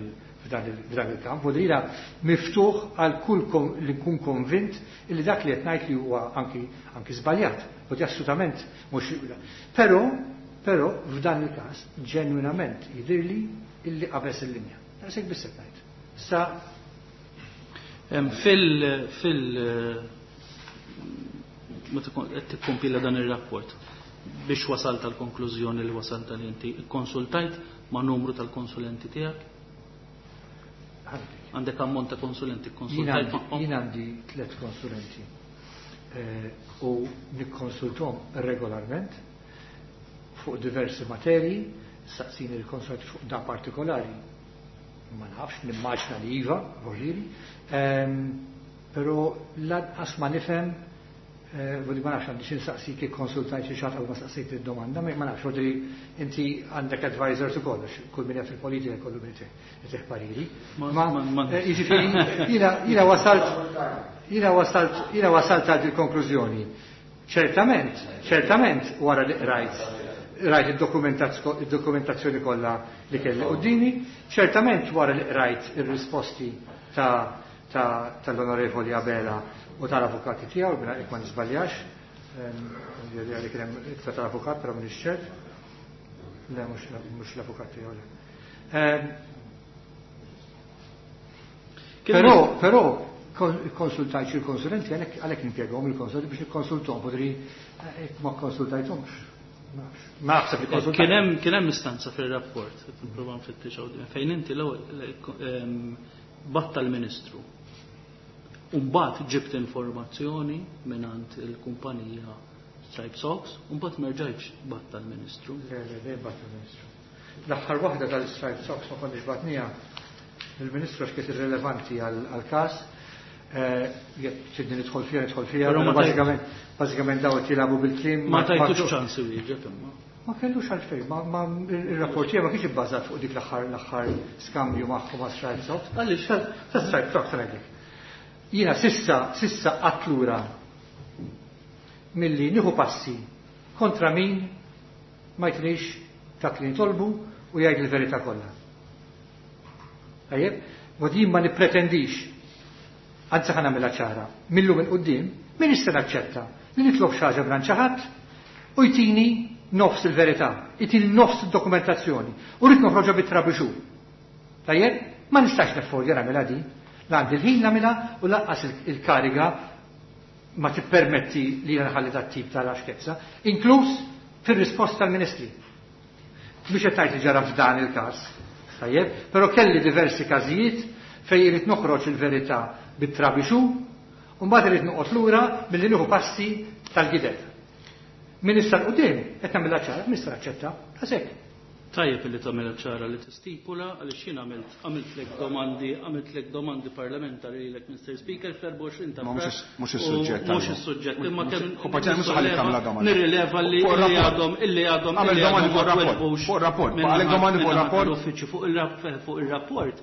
il-kamp, u jiena miftuħ għal kull li nkun konvint illi dak li qed ngħid li huwa anki żbaljat, u di assolutament mhux. Però f'dan il-każ ġenwinament jidhirli illi qabeż il-linja. Daqshekk biss qed ngħid. Sa Fil meta qed tikkompila dan ir-rapport biex wasalt għall-konklużjoni li wasalt għal inti, ikkonsultajt ma' numru tal-konsulenti tiegħek? Għandek ammont ta' konsulenti, konsultajt magħhom? Jien għandi 3 konsulenti u nikkonsultom regolarment fuq diversi materji, saqsini l-konsulenti fuq da partikolari. Ma nafx, nimmaġna li iva, voġiri, però lanqas ma nifhem, voglio ma nafx għandi x'insaqsik kif konsultajt xi xatt ma saqsejt id-domanda, ma nafx, voglio inti għandek advisors ukoll, għax kull min jaf fil-politika kollu min jtih pariri. Ma, jiġifieri, jiena wasalt, jiena wasalt, jiena wasalt għal il-konklużjoni. Ċertament, ċertament wara li rajt id-dokumentazzjoni kollha li kelli qudiemi, ċertament wara li rajt ir-risposti tal-Onorevoli Abela u tal-avukati tiegħu, bina jekk ma nisbaljax, li kien hemm ittra tal-avukat, però m'iniex ċert. Le, mhux l-avukat tiegħu, le. Kien hemm Però konsultajt xi konsulenti, għalhekk nimpjegahom il-konsulenti biex nikkonsultahom, podri jekk ma konsultajthomx. Ma naħseb li konsultajt. Kien hemm istanza fir-rapport, qed nipprova nfittix hawn, fejn inti l-ewwel batta l-Ministru. U mbagħad ġibt informazzjoni mingħand il-kumpanija Stripe Socks, u mbagħad ma rġajtx batta l-Ministru. Le, le, le, batta l-Ministru. L-aħħar waħda tal-Stripe Socks ma konniex batnija il-Ministru għax kienet irrelevanti għall-każ. Jekk tridni nidħol fiha, nidħol fiha, Però ma però bażikament daw qed jilagħbu bil-kliem. Ma tajtux ċans iwieġeb imma. Ma kellux għalfejn, ma il-rapport tiegħi ma kienx ibbażat fuq dik l-aħħar skambju magħhom ma' Stripe Socks. Għaliex? Ta' Stripe Socks ngħidlek. Jiena sissa qatt lura milli nieħu passi kontra min ma jtinix dak li nitolbu u jgħid il-verità kollha. Tajjeb? U din ma nippretendix, anzi ħa nagħmilha ċara, millum il quddiem min issa naċċetta li nitlob xi ħaġa minn xi ħadd u jtini nofs il-verità, jtini nofs id-dokumentazzjoni u rrid noħroġha bit-trabixu. Tajjeb? Ma nistax neffordja nagħmilha din. La għandi l-ħin nagħmilha u lanqas il-kariga ma tippermetti li jiena nħalli dat tip ta' laxkezza, inkluż fir-risposta tal-Ministri. Mhux qed ngħid li ġara f'dan il-każ, tajjeb, però kelli diversi każijiet fejn irid noħroġ il-verità bit-trabixu u mbagħad irid noqgħod lura milli nieħu passi tal-gideb. Min issa l quddiem qed nagħmilha ċara, min issa naċċetta, għasek. Tajjeb li tagħmilha ċara li tistipula għaliex jien għamiltlek domandi, għamiltlek domandi parlamentari lilek Mr. Speaker fl-24 ta' Ma Frar mhux is-suġġett u mhux tal-lum. is-suġġett, imma kemm Kumpanija mhux ħalli tagħmilha domanda. Nirrileva li Fuq illi rapport. għadhom, illi għadhom, Għamel illi domandi għadhom fuq rapport. ma tweġbux Fuq rapport. minn Għalek domandi fuq minnaħa rapport. tal-uffiċċju fuq ir-rapport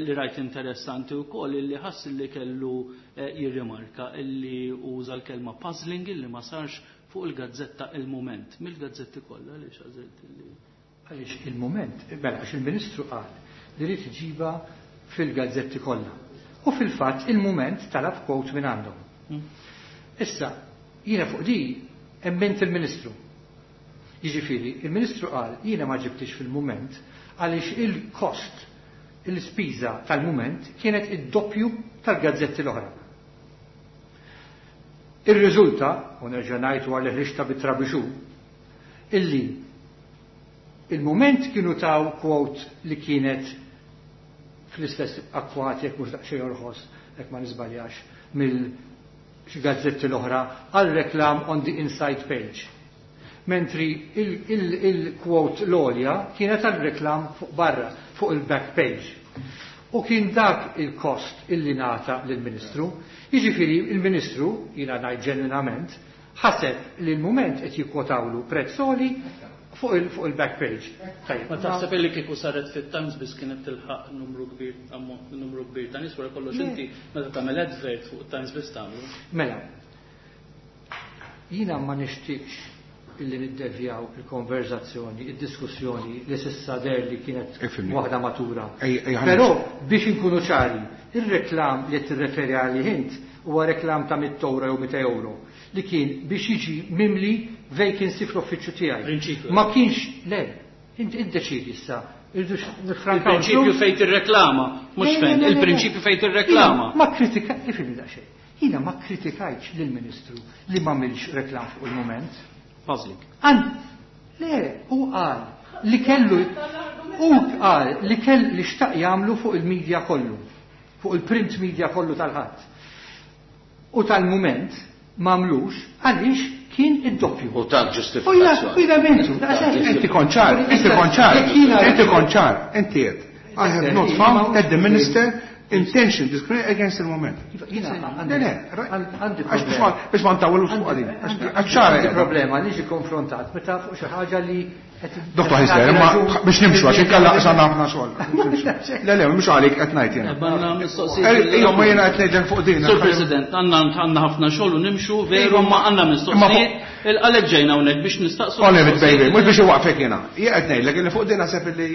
li rajt interessanti wkoll illi ħass li kellu jirrimarka illi uża l-kelma puzzling illi ma sarx fuq il-gazzetta Il-Mument. Mill-gazzetti kollha għaliex għażilt illi Għaliex Il-Mument, mela għax il-Ministru qal li rrid iġiba fil-gazzetti kollha. U fil-fatt il-Mument talab quote minn għandhom. Issa, jiena fuq di emmint il-Ministru. Jiġifieri, il-Ministru qal jiena ma ġibtix fil-Mument għaliex il-kost, il-spiża tal-Mument kienet id-doppju tal-gazzetti l-oħra. Irriżulta, u nerġa' ngħid wara li ħriġtha bit-trabixu, illi il-Mument kienu taw quote li kienet fl-istess akkwati jekk mhux daqsxejn orħos, jekk ma niżbaljax, mill xi gazzetti l-oħra għal reklam on the inside page. Mentri il-quote l-għolja kienet għal reklam fuq barra, fuq il-back page. U kien dak il-kost illi nata lill-Ministru. Jiġifieri il-Ministru, jiena ngħid ġenwinament, ħaseb li l-Mument qed jikkwotawlu prezz għoli fuq il-back page. Tajjeb. Ma taħseb illi kieku saret fit-Times biss kienet tilħaq numru kbir, numru kbir ta' nies wara kollox inti meta tagħmel advert fuq Times biss tagħmlu. Mela, jiena ma nixtieqx illi niddevjaw il-konverzazzjoni, id-diskussjoni li s'issa deher li kienet waħda matura. Però biex inkunu ċari, ir-reklam li qed tirreferi għalih int huwa reklam ta' 100 euro jew 200 euro li kien biex jiġi mimli vacancy fl-uffiċċju tiegħi. Prinċipju. Ma kienx, le, inti iddeċidi issa. Irridux nifrankaw. Il-prinċipju fejn tirreklama, mhux fejn, il-prinċipju fejn tirreklama. Ma kritika, ifhimni daqsxejn. Jiena ma kritikajtx lill-Ministru li m'għamilx reklam fuq il-Mument. Puzzling. An, le, hu qal li kellu, hu qal li kell li xtaq jagħmlu fuq il-media kollu, fuq il-print media kollu tal-Ħadd. U tal-Mument m'għamlux għaliex kien id-doppju. U ta' ġustifikazzjoni. U jina mintu. Inti konċar, inti konċar, inti konċar, inti qed. I have not found that the minister intention discriminate against il-Mument. Le, le, għax biex ma ntawwlux fuq għadin. Għax ċara. Għandi problema li ġi konfrontat meta fuq xi ħaġa li Dottor Ħisler, imma biex nimxu għax inkella qasana ħafna xogħol. Le, le, mhux għalik qed ngħid jiena. Għandna mistoqsijiet. Ejja, ma jiena qed ngħidlek fuq din. Sur President, għandna ħafna xogħol u nimxu veru ma għandna mistoqsijiet. Il-għalek ġejna hawnhekk biex nistaqsu. Oliver baby, mhux biex iwaqfek jiena. Jien qed ngħidlek li fuq din naħseb li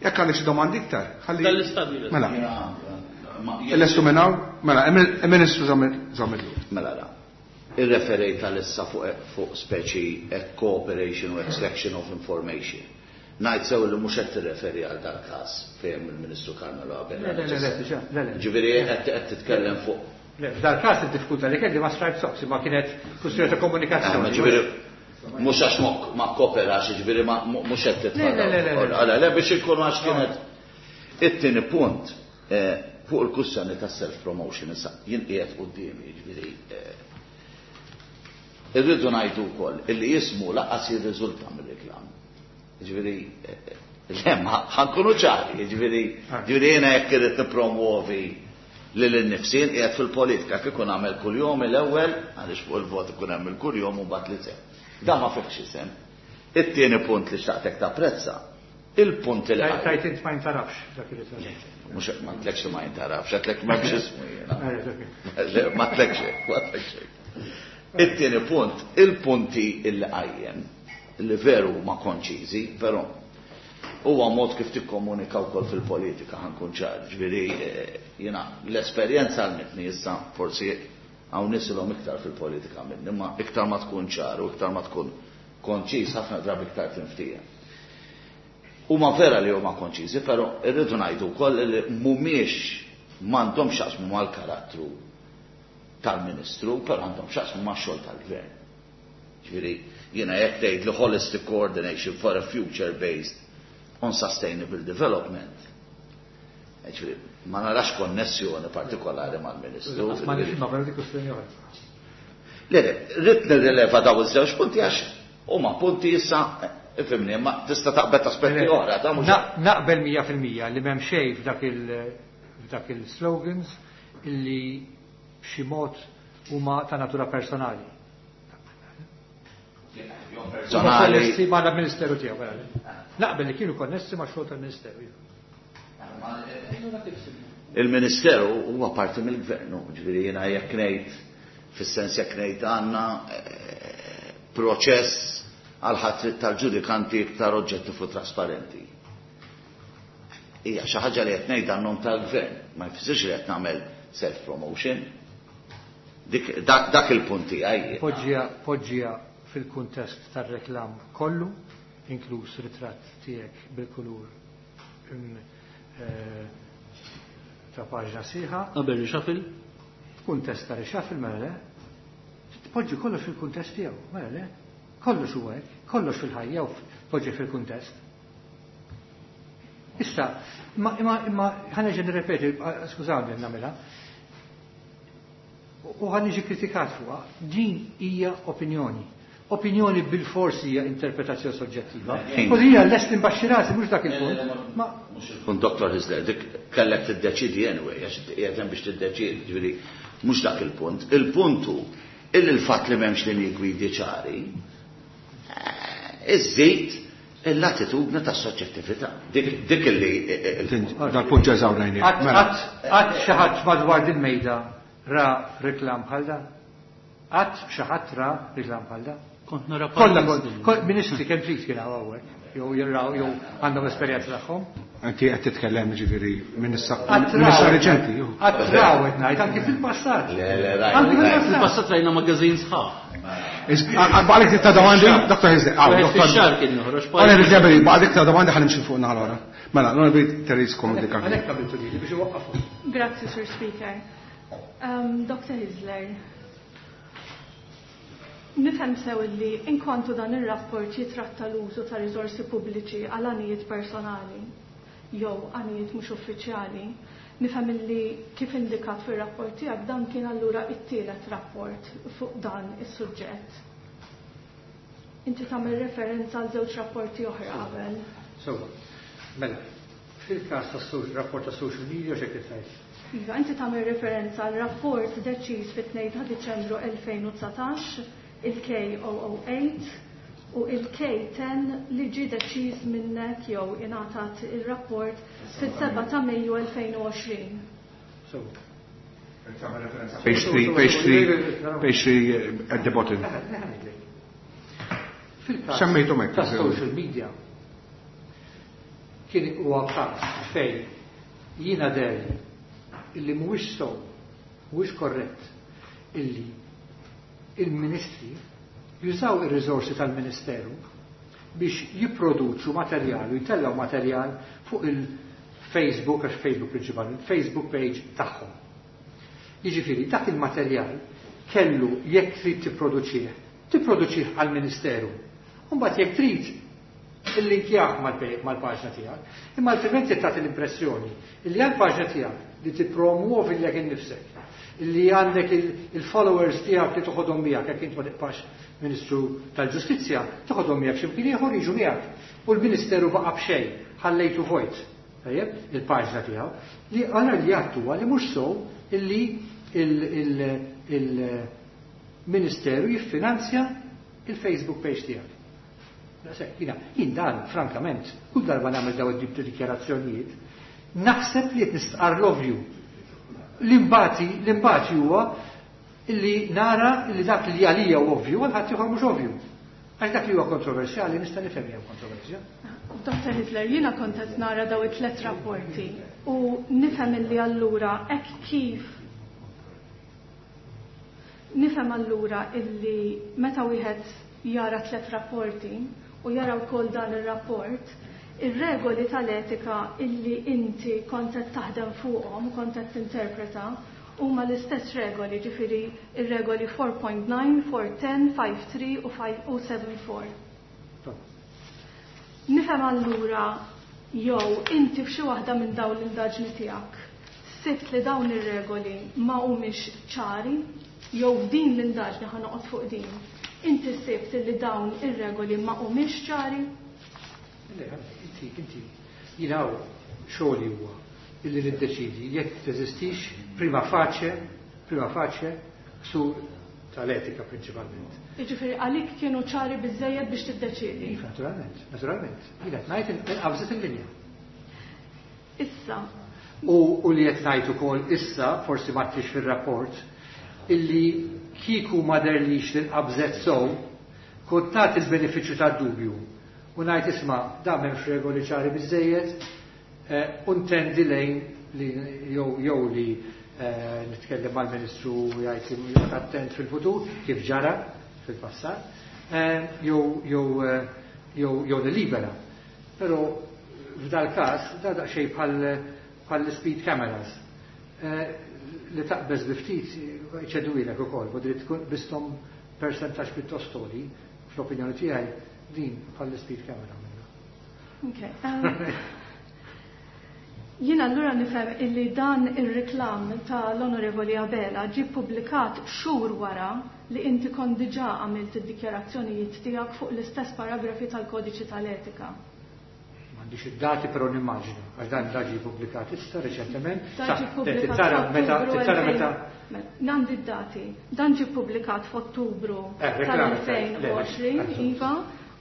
jekk għandek xi domandi iktar. Ħalli. Dal-istadju. Mela. Lestu minn hawn? Mela, il-Ministru żammel. Mela la. Irreferejt għalissa fuq speċi cooperation u extraction of information. Ngħid sew li mhux qed tirreferi għal dal-każ fejn il-Ministru Carmelo Abela. Le, le, le, le, le. Ġifieri qed titkellem fuq. Le, f'dal-każ id-diffikultà li kelli ma Striped Socks imma kienet kwistjoni ta' komunikazzjoni. Ġifieri mhux għax ma kooperax, ġifieri mhux qed titfa'. Le, le, le, le. Le, biex inkunu għax kienet. It-tieni punt fuq il-kwistjoni ta' self-promotion issa jien qiegħed quddiemi, ġifieri irridu ngħidu wkoll illi jismu laqas jirriżulta mir-reklam. Ġifieri le, ma ħankunu ċari, ġifieri ġifieri jiena jekk irrid nippromuovi lil innifsin qiegħed fil-politika kif ikun għamel kuljum l-ewwel għaliex fuq il-vot ikun hemm il-kuljum u mbagħad li sehem. Dan ma fihx isem. It-tieni punt li xtaqtek tapprezza, il-punt li Tajt int ma jintarafx dak li tgħid. Mhux ma tlekx li ma jintarafx, għedtlek m'hemmx ismu jiena. Le, ma tlekx hekk, ma tlekx hekk. It-tieni punt, il-punti illi qajjem, li veru ma konċiżi, però huwa mod kif tikkomunika wkoll fil-politika, ħankun ċar, ġifieri jiena l-esperjenza għalmitni issa forsi hawn nisilhom iktar fil-politika minni, ma iktar ma tkun ċar u iktar ma tkun konċiż ħafna drabi iktar tinftija. Huma vera li huma konċiżi, però irridu ngħidu wkoll li mhumiex m'għandhomx x'jaqsmu mal-karattru tal-Ministru, però għandhom x'jaqsmu max-xogħol tal-Gvern. Ġifieri, jiena jekk tgħid li holistic coordination for a future based on sustainable development. Ġifieri, ma narax konnessjoni partikolari mal-Ministru. Ma nifhimha, però dik kwestjoni oħra. Le, le, rrid nirrileva daw iż-żewġ punti għax huma punti issa, ifhimni, ma tista' taqbel aspetti oħra, ta' mhux Naqbel 100% li m'hemm xejn f'dak il-slogans illi b'xi mod huma ta' natura personali. Personali. Konnessi ma' l-Ministeru tiegħu, vera. Naqbel li kienu konnessi ma' xogħol tal-Ministeru. Il-Ministeru huwa parti mill-Gvern, ġifieri jiena jekk ngħid, fis-sens jekk ngħid għandna proċess għal ħatrit tal-ġudikanti iktar oġġettiv u trasparenti. Hija xi ħaġa li qed ngħidha għan-nom tal-gvern, ma jfissirx li qed nagħmel self-promotion. Dik, dak, dak il-punt tiegħi. Poġġiha, poġġiha fil-kuntest tar-reklam kollu, inkluż ritratt tiegħek bil-kulur ta' paġna sħiħa. Qabel reshuffle? F'kuntest ta' reshuffle, mela le. Tpoġġi kollox fil-kuntest tiegħu, mela le. Kollox huwa hekk, kollox fil-ħajja u poġġi fil-kuntest. Issa, imma imma imma ħa nerġa' nirrepeti, skużawni nagħmilha. U ħa niġi kritikat fuqha, din hija opinjoni. Opinjoni bil-forsi hija interpretazzjoni soġġettiva. U din hija lest imbaxxi rasi mhux dak il-punt. Ma mhux il-punt Dr. Hyzler, dik kellek tiddeċidi anyway, għax qiegħed hemm biex tiddeċidi, ġifieri mhux dak il-punt. Il-punt hu illi l-fatt li m'hemmx linji gwidi ċari iżżid l-attitudni ta' soġġettività. Dik illi. Dal-punt ġa eżawrajnieh. Qatt xi ħadd madwar din mejda ra reklam bħal dan? Qatt xi ħadd ra reklam bħal dan? Kont nara Kollha kont ministri kemm trid kien hawn hawnhekk, jew jirraw jew għandhom esperjenza tagħhom. Inti qed titkellem ġifieri minn issa reċenti. Qatt raw qed ngħid anki fil-passat. Le, le, rajna. Anki fil-passat. Fil-passat rajna magażin sħaħ. Baqgħek ta' domandi, Dr. Hyzler. Fix-xahar kien joħroġ. Baqgħek ta' domandi ħa nimxi fuq naħa l-oħra. Mela, l-Onorevoli Therese Comodini. Għalhekk għamiltu lili biex iwaqqafhom. Grazzi, Sur Speaker. Dr. Hyzler, nifhem sew li inkwantu dan ir-rapport jitratta l-użu ta' riżorsi pubbliċi għal għanijiet personali jew għanijiet mhux uffiċjali, nifhem li kif indikat fir-rapport tiegħek dan kien allura it-tielet rapport fuq dan is-suġġett. Inti tagħmel referenza għal żewġ rapporti oħra qabel. Sewwa, mela, fil-każ tas-rapport ta' social media x'hekk qed tgħid? Iva, inti tagħmel referenza għal rapport deċiż fit-2 ta' Diċembru 2019, il-K008 u il-K10 li ġie deċiż minnek jew ingħatat il-rapport fis-7 ta' Mejju 2020. Sewwa. Page 3, page 3, page 3 at the bottom. Fil-każ Semmejthom hekk, ta' social media kien huwa każ fejn jiena deher illi mhuwiex sew, mhuwiex korrett illi il-ministri jużaw ir-riżorsi tal-Ministeru biex jipproduċu materjal u jtellaw materjal fuq il-Facebook, għax Facebook prinċipalment, Facebook page tagħhom. Jiġifieri dak il-materjal kellu jekk trid tipproduċih, tipproduċih għall-Ministeru. U mbagħad jekk trid illinkjah mal-paġna tiegħek, imma altrimenti tagħti l-impressjoni illi għall-paġna tiegħek li tippromuovi lilek innifsek, illi għandek il-followers tiegħek li toħodhom miegħek jekk int ma tibqax Ministru tal-Ġustizzja, toħodhom miegħek x'imkien ieħor jiġu miegħek. U l-Ministeru baqa' b'xejn, ħallejtu vojt. Tajjeb, il-paġna tiegħu, li għala li għattu li mhux sew illi il-Ministeru jiffinanzja il-Facebook page tiegħek. Jien dan, frankament, kull darba nagħmel daw id ta' dikjarazzjonijiet, naħseb li qed nistqar l-ovvju. L-imbati huwa illi nara illi dak li għalija u ovvju, għal ħadd ieħor mhux ovvju. Għax dak li huwa kontroversjali nista' nifhem jew kontroversja. Dr. Hyzler, jiena kont qed nara daw it-tlet rapporti u nifhem illi allura hekk kif nifhem allura illi meta wieħed jara tlet rapporti u jara wkoll dan ir-rapport, ir-regoli tal-etika illi inti kont qed taħdem fuqhom, kont qed tinterpreta, huma l-istess regoli, ġifieri ir-regoli 4.9, 4.10, 5.3 u 5.74. Nifhem allura jew inti f'xi waħda minn dawn l-indaġni tiegħek sibt li dawn ir-regoli ma humiex ċari, jew f'din l-indaġni ħa noqgħod fuq din. Inti sibt li dawn ir-regoli ma humiex ċari? Le, inti, jiena xogħli huwa illi niddeċidi jekk teżistix prima facie, prima facie ksur tal-etika prinċipalment. Jiġifieri għalik kienu ċari biżejjed biex tiddeċidi. Iva, naturalment, naturalment. Jiena qed ngħid inqabżet il-linja. Issa. U li qed ngħid ukoll issa, forsi ma tix fir-rapport, illi kieku ma derlix li nqabżet sew, kont nagħti l-benefiċċju tad-dubju. U ngħid isma' da m'hemmx regoli ċari biżejjed, U ntendi lejn li jew li nitkellem mal-Ministru jgħid li joqgħod attent fil-futur kif ġara fil-passat, jew nilibera. Però f'dal każ da daqsxejn bħal speed cameras li taqbeż bi ftit iċedwilek ukoll, u trid tkun bistom percentaġġ pjuttost għoli, fl-opinjoni tiegħi din bħal speed camera minna. Okay. Jien allura nifhem illi dan ir-reklam ta' l-Onorevoli Abela ġie ppubblikat xhur wara li inti kont diġà għamilt id-dikjarazzjonijiet tiegħek fuq l-istess paragrafi tal-Kodiċi tal-Etika. M'għandix id-dati, però nimmaġina, għax dan ġie ppubblikat issa reċentement. Dan ġie ppubblikat Tara meta f'Ottubru tara meta Għandi d-dati. Dan ġie ppubblikat f'Ottubru Reklam, tal-2020, Iva,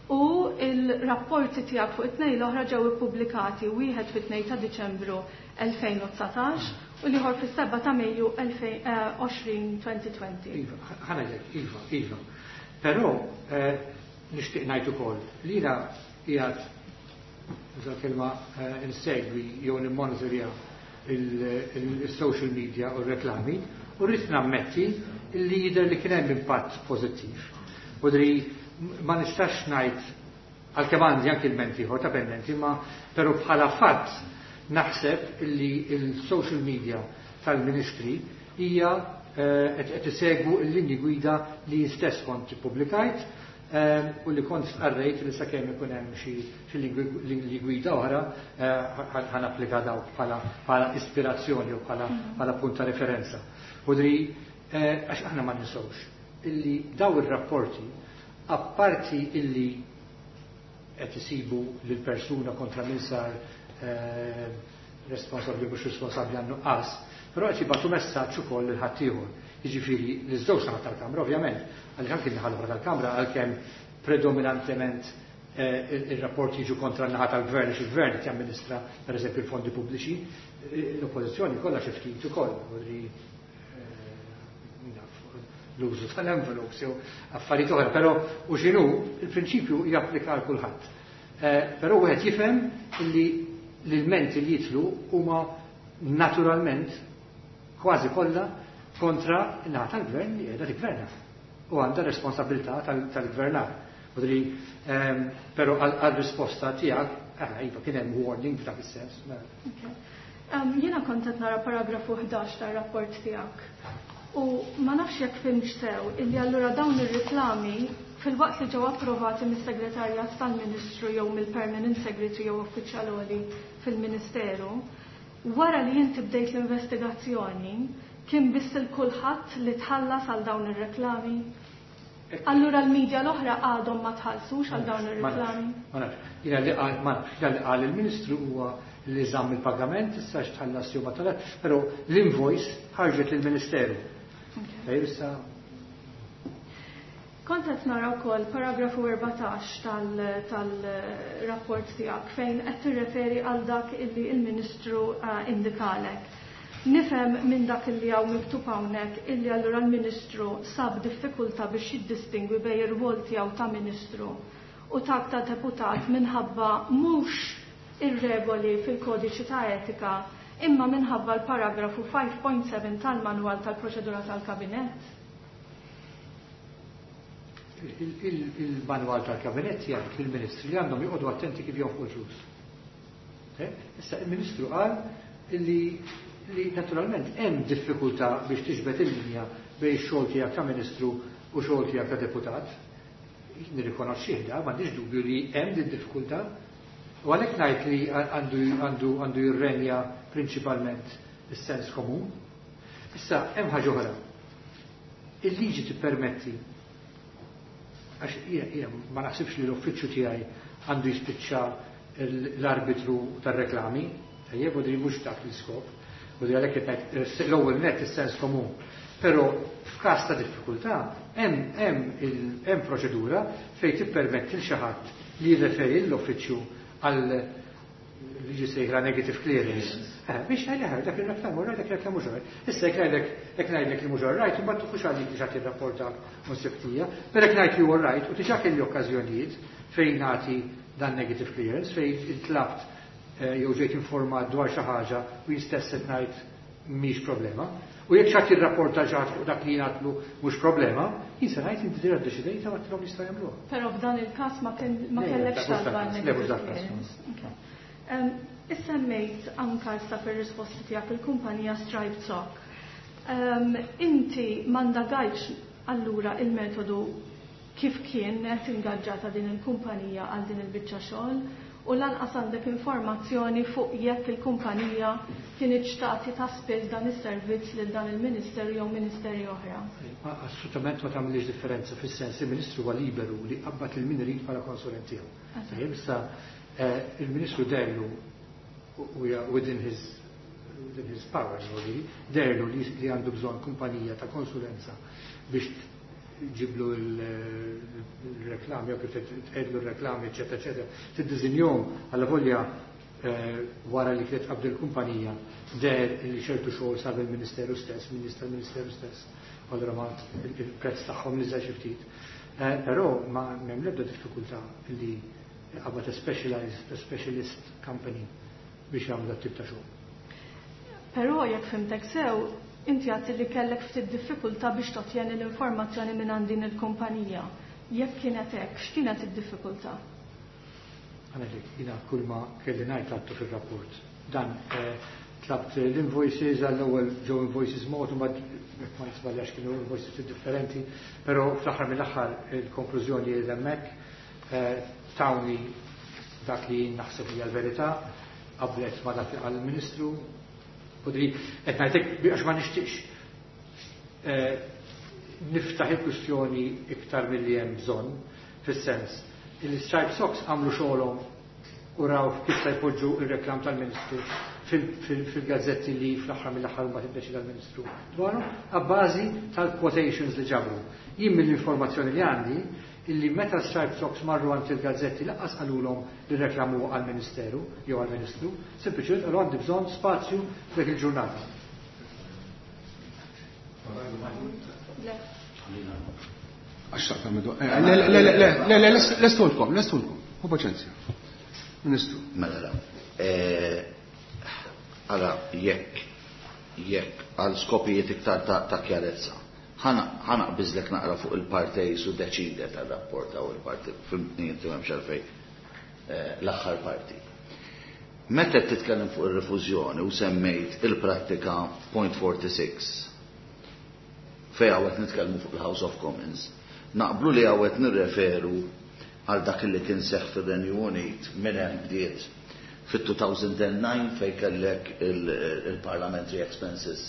u il-rapporti tiegħek fuq it-tnejn l-oħra ġew ippubblikati wieħed fit-2 ta' Diċembru 2019 u l-ieħor fis-7 ta' Mejju 2020. Iva, ħa ngħidlek, iva. Però nixtieq ngħid ukoll li jiena qiegħed nuża kelma insegwi jew nimmonitorja il-social media u r-reklami u rrid nammetti li jidher li kien hemm impatt pożittiv. U dri ma nistax ngħid għalkemm għandi anki l-menti ieħor ta' pendenti, ma però bħala fatt naħseb li il-social media tal-ministri hija qed isegwu l-linji gwida li stess kont ippubblikajt u li kont stqarrejt li sakemm ikun hemm xi linji gwida oħra ħa napplika dawk bħala ispirazzjoni u bħala punt ta' referenza. U dri għax aħna ma ninsewx illi daw ir-rapporti apparti illi qed isibu lil persuna kontra min sar responsabbli mhux responsabbli għan nuqqas, però qed jibgħatu messaġġ ukoll lil ħaddieħor. Jiġifieri l-żewġ naħat tal-Kamra ovvjament, għaliex anki n-naħa l-oħra tal-Kamra għalkemm predominantement ir-rapporti jiġu kontra n-naħa tal-gvern għax il-gvern qed jamministra pereżempju l-fondi pubbliċi, l-oppożizzjoni kollha xi ftit ukoll, l-użu tal-envelopes jew affarijiet oħra, però u x'inhu il-prinċipju japplika għal kulħadd. Però wieħed jifhem li l-ilmenti li jitlu huma naturalment kważi kollha kontra n-naħa tal-gvern li qiegħda tiggverna u għandha responsabilità tal-gvernar. Però għal-risposta tiegħek, iva kien hemm warning f'dak is-sens. Jiena kont qed nara paragrafu 11 tar-rapport tiegħek. U ma nafx jekk fhimtx sew illi allura dawn ir-riklami fil-waqt li ġew approvati mis-segretarjat tal-Ministru jew mill-Permanent Secretary jew uffiċjal għoli fil-Ministeru, wara li inti bdejt l-investigazzjoni, kien biss il kulħadd li tħallas għal dawn ir-reklami? Allura l-medja l-oħra għadhom ma tħallsux għal dawn ir-reklami? Ma nafx. Jiena li qal, ma nafx, jiena li qal il-Ministru huwa li żamm il-pagament, issa x'tħallas jew ma tħallas, però l-invoice ħarġet lill-Ministeru. Ejja issa. Kont qed nara wkoll paragrafu 14 tal-rapport tiegħek fejn qed tirreferi għal dak illi il-Ministru indikalek. Nifhem minn dak illi hawn miktub hawnhekk illi allura l-Ministru sab diffikultà biex jiddistingwi bejn ir-rwol tiegħu ta' Ministru u tak ta' deputat minħabba mhux ir-regoli fil-kodiċi ta' etika imma minħabba l-paragrafu 5.7 tal-manwal tal-proċedura tal-kabinett. Il-manwal tal-kabinett jgħid lill-ministri li għandhom joqogħdu attenti kif jonfqu l-flus. Issa il-Ministru qal li naturalment hemm diffikultà biex tiġbed il-linja bejn xogħol tiegħek ta' Ministru u xogħol tiegħek ta' deputat. Nirrikonoxxih da, m'għandix dubju li hemm din diffikultà. U għalhekk ngħid li għandu jirrenja prinċipalment is-sens komun. Issa hemm ħaġa oħra. Il-liġi tippermetti, għax jiena ma naħsibx li l-uffiċċju tiegħi għandu jispiċċa l-arbitru tar-reklami, tajjeb, u di mhux dak l-iskop, u di għalhekk qed ngħid l-ewwel net is-sens komun. Però f'każ ta' diffikultà hemm proċedura fejn tippermetti l xi ħadd li jirreferi l-uffiċċju għal liġi sejħla negative clearance. Biex ngħidlek dak ir-reklam mhux dak ir-reklam mhux right. Issa jekk ngħidlek li mhux right, imbagħad tkunx għalik biex tagħti r-rapportak u nsibtija, però jekk ngħid li huwa right u diġà kelli okkażjonijiet fejn nagħti dan negative clearance fejn intlabt. jew ġejt informat dwar xi ħaġa u jien stess qed ngħid mhix problema. U jekk xi ħadd jirrapporta xi ħadd fuq dak li jien għadtlu mhux problema, jien se ngħid inti diġà ddeċidejta u għedtilhom jistgħu jagħmluha. Però f'dan il-każ ma kien ma kellekx talba għal negative clearance. Issemmejt anka issa fir-risposti tiegħek il-kumpanija Striped Sock. Inti ma ndagajtx allura il-metodu kif kienet ingaġġata din il-kumpanija għal din il-biċċa xogħol u lanqas għandek informazzjoni fuq jekk il-kumpanija kinitx tagħti ta' spiss dan is-servizz lil dan il-ministeru jew ministeri oħra. Assolutament ma tagħmilx differenza fis-sens li l-Ministru huwa liberu li jqabbad lil min irid bħala konsulent tiegħu. Tajjeb, issa il-Ministru deherlu u hija within his within his powers, deherlu li għandu bżonn kumpanija ta' konsulenza biex ġiblu l-reklami, jew kif tqegħdlu r-reklami, eċetera, eċetera, tiddiżinjhom alla volja wara li kienet qabdu l-kumpanija deher li ċertu xogħol sar mill-Ministeru stess, minn nies tal-Ministeru stess, allura ma il-prezz tagħhom niżel xi ftit. Però ma m'hemm l-ebda diffikultà li qabad a specialized, a specialist company biex jagħmlu dat tip ta' xogħol. Però jekk fhimtek sew, inti għedt li kellek ftit diffikultà biex tottjeni l-informazzjoni minn għand din il-kumpanija. Jekk kienet hekk, x'kienet id-diffikultà? Għalhekk jiena kull ma kelli ngħid għadtu fir-rapport. Dan tlabt l-invoices, għall-ewwel ġew invoices mod, u mbagħad jekk ma nisbaljax kienu invoices ftit differenti, però fl-aħħar mill-aħħar il-konklużjoni li hemmhekk tawni dak li naħseb li l-verità, qablet ma dak li qal il-Ministru, u di qed ngħidlek għax ma nixtieqx niftaħ il-kwistjoni iktar milli hemm bżonn, fis-sens il-Striped Socks għamlu xogħolhom u raw kif se jpoġġu ir-reklam tal-Ministru fil-gazzetti li fl-aħħar mill-aħħar huma tiddeċida l-Ministru dwarhom, abbażi tal-quotations li ġabru. Jien mill-informazzjoni li għandi illi meta Striped Socks marru għand il-gazzetti lanqas qalulhom li reklamu għall-Ministeru jew għall-Ministru, sempliċement qalu għandi bżonn spazju f'dik il-ġurnata. Għax taqta' midu. Le, le, le, le, le, le, lestulkom, lestulkom. Hu paċenzja. Ministru. Mela, la. Ara, jekk għal skopijiet iktar ta' kjarezza, ħa naqbiżlek naqra fuq il-parti su deċide tal-rapport u il-parti, fimtni inti m'hemmx għalfejn l-aħħar parti. Meta titkellem fuq ir-rifużjoni u semmejt il-prattika point 46, fej għawet nitkellmu fuq il-House of Commons, naqblu li għawet nirreferu għal dak li kien seħ fir-Renju Unit minn hemm bdiet fit-2009 fej kellek il-Parliamentary Expenses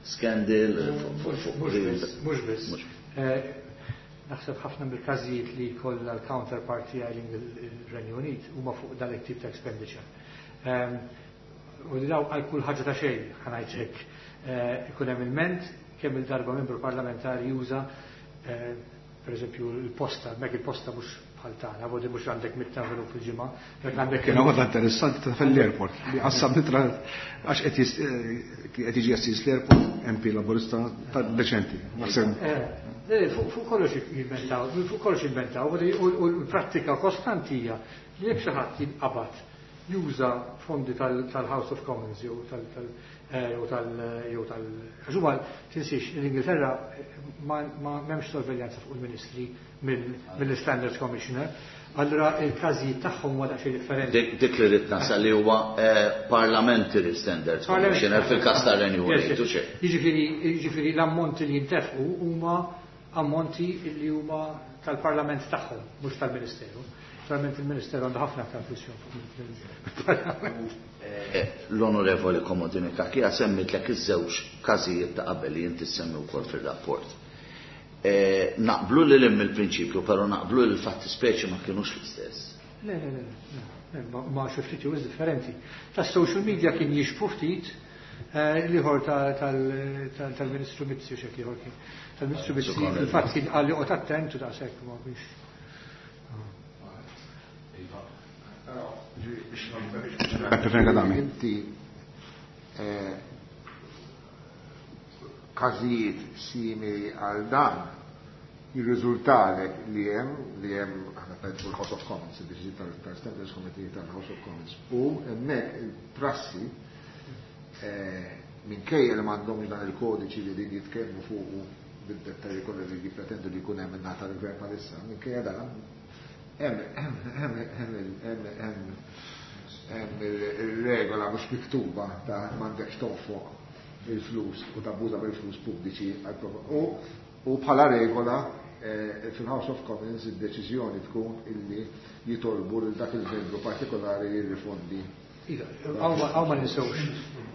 Scandal. Mhux biss. Naħseb ħafna mill-każijiet li kollha l-counterpart tiegħi il-Renju Unit huma fuq dan it-tip ta' expenditure. U li daw għal kull ħaġa ta' xejn, ħa ngħid hekk. Ikun hemm ilment kemm il-darba membru parlamentari juża per eżempju il-posta, mek il-posta mhux bħal tagħna, vodi mhux għandek mitt envelope fil-ġimgħa, jekk għandek Kien għodha interessanti ta' fil-airport, li qassam nitra għax qed jiġi assis l-airport MP Laburista ta' deċenti. Naħseb. Fuq kollox jivventaw, fuq kollox jivventaw, u l-prattika kostanti hija li jekk xi ħadd jinqabad juża fondi tal-House of Commons jew jew tal jew tal għax huma tinsiex l-Ingilterra ma m'hemmx sorveljanza fuq il-ministri mill-Standards Commissioner. Allura il-każijiet tagħhom huwa daqsxejn differenti. Dik li rrid nasal li huwa Parliamentary Standards Commissioner fil-każ tar-Renju Unit, u xejn. Jiġifieri l-ammonti li jintefqu huma ammonti li huma tal-Parlament tagħhom, mhux tal-Ministeru. Naturalment il-Ministeru għandu ħafna aktar flus mill-Parlament. L-Onorevoli Comodini Cachia semmitlek iż-żewġ każijiet ta' qabel li inti semmi wkoll fir-rapport. Naqblu li l il-prinċipju, però naqblu li l-fatti speċi ma kienux l-istess. Le, le, le, le, ma xi ftit jew differenti. Ta' social media kien jixbu ftit, l-ieħor tal-Ministru Mizzi u xek ieħor kien. Tal-Ministru Mizzi fil-fatt kien qal li oqgħod attent u daqshekk ma biex. Inti każijiet simili għal dan Jirriżultalek li hemm aħna tajt fuq il-House of Commons, il-deċiżjoni tal-Standards Committee tal-House of Commons. U hemmhekk il-prassi minkejja li m'għandhomx dan il-kodiċi li din jitkellmu fuqu bid-dettalji kollha li jippretendu li jkun hemm in-naħa tal-gvern bħalissa, minkejja dan hemm il-regola mhux miktuba ta' m'għandekx tonfoq il-flus u tabbuża bil-flus pubbliċi u bħala regola fil-House of Commons id-deċiżjoni tkun illi jitolbu lil dak il-membru partikolari jirrifondi. Għaw ma ninsewx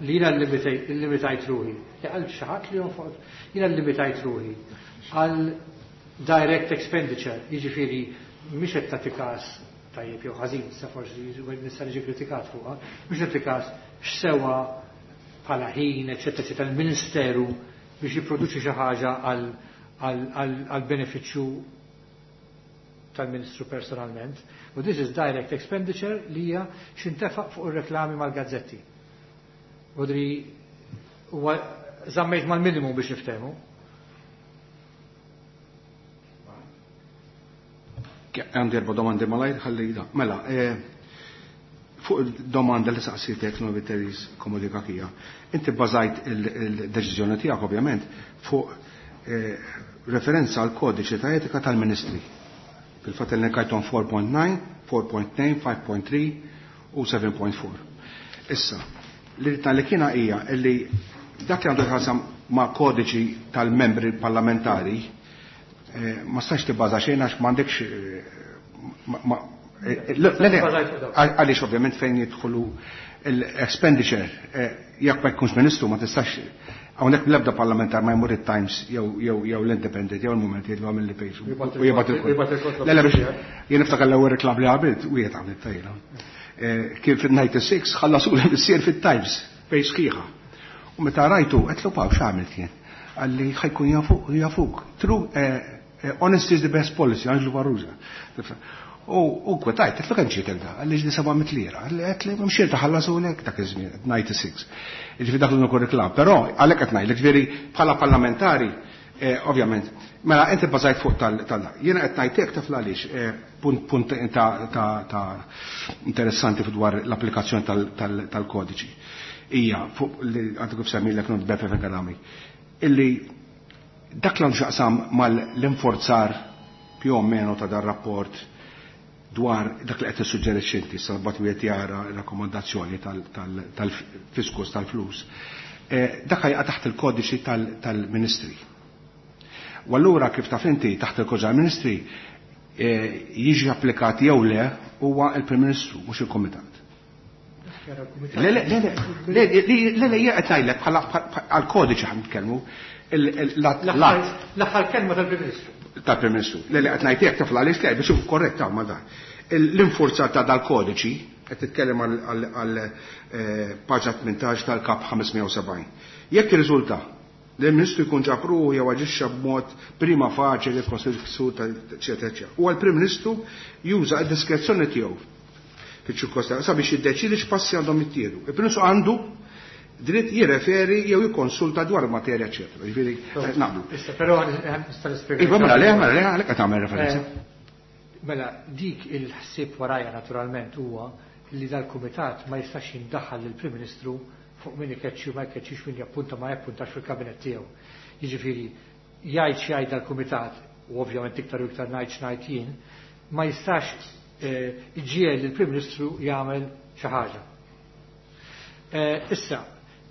li jiena limitajt ruħi. Għal xi ħadd li jonfoq, jiena limitajt ruħi għal direct expenditure, jiġifieri mhix qed tagħti każ tajjeb jew ħażin, sa forsi nista' niġi kritikat fuqha, mhix qed każ x'sewa bħala ħin, eċetera, eċetera, il-Ministeru biex jipproduċi xi ħaġa għal benefiċċju tal-Ministru personalment. U this is direct expenditure li hija x'intefaq fuq ir-reklami mal-gazzetti. Udri huwa żammejt mal-minimum biex niftehmu. Għandi erba' domandi malajr ħalli da. Mela, fuq il-domanda li saqsitek Novi Teris Komodika Kija, inti bbażajt il-deċiżjoni tiegħek ovvjament fuq referenza għal kodiċi ta' etika tal-Ministri. Fil-fatt il-nekajton 4.9, 4.2, 5.3 u 7.4. Issa, li li kiena hija li dak li għandu jħassam ma' kodiċi tal-membri parlamentari ma stax tibbaża xejn għax m'għandekx għaliex ovvjament fejn jidħlu l-expenditure jekk ma jkunx ministru ma tistax hawnhekk l-ebda parlamentar ma jmur it-Times jew l-Independent jew il-Moment jgħidu għamil li page u jibgħat il Le biex jien niftakar l-ewwel reklam li għamilt u jiet għamilt tajla. Kien fil-96 ħallasu l-missier fit-Times page sħiħa. U meta rajtu qed paw x'għamilt jien. Għalli ħajkun jafuk. True honesty is the best policy, Angelo Farrugia. U kwetajt, għetlu kemm ġietek da, għalli ġdi 700 lira, għalli għetli mxir taħallasu lek dak iż-żmien, 96. Ġifieri dak l-uniku reklam, però għalhekk qed ngħidlek ġifieri bħala parlamentari, ovvjament, mela inti bbażajt fuq tal Jiena qed ngħidlek taf għaliex punt ta' interessanti dwar l-applikazzjoni tal-kodiċi. Hija fuq li għandu kif semmilek non Beppe Fenech illi dak l xaqsam mal-inforzar più o meno ta' dar rapport dwar dak li qed tissuġġerixxi inti salbat wieħed jara rakkomandazzjoni tal-fiskus tal-flus. Dak jaqa' taħt il-kodiċi tal-Ministri. U allura kif taf inti taħt il-kodiċi tal-Ministri jiġi applikat jew le huwa il-Prim Ministru mhux il-Kumitat. Le le le le le le qed ngħidlek bħala għall-kodiċi ħan nitkellmu l-aħħar kelma tal-Prim Ministru. Tal-Prim Ministru. Le le qed ngħidlek taf għaliex le biex korretta ma dan. L-infurzar ta' dal-kodiċi qed titkellem għal paġna 18 tal-kap 570. Jekk irriżulta li l-Ministru jkun ġab ruħu jew aġixxa b'mod prima faċi li ksur ta' eċetera eċetera. U għall-Prim Ministru juża d-diskrezzjoni tiegħu fiċ-ċirkostanza sabiex jiddeċiedi x'passi għandhom jittieħdu. Il-Prim Ministru għandu dritt jirreferi jew jikkonsulta dwar materja eċetera. Ġifieri naqblu. Issa però nista' nispjega. Iva mela le, mela le, għalhekk qed tagħmel referenza. Mela dik il-ħsieb warajja naturalment huwa li dal-kumitat ma jistax jindaħħal lill-Prim Ministru fuq min ikeċċi u ma jkeċċix min jappunta ma jappuntax fil-kabinet tiegħu. Jiġifieri jgħid xi dal-kumitat u ovvjament iktar u iktar ngħid x'ngħid jien, ma jistax iġiegħel lill-Prim Ministru jagħmel xi ħaġa. Issa,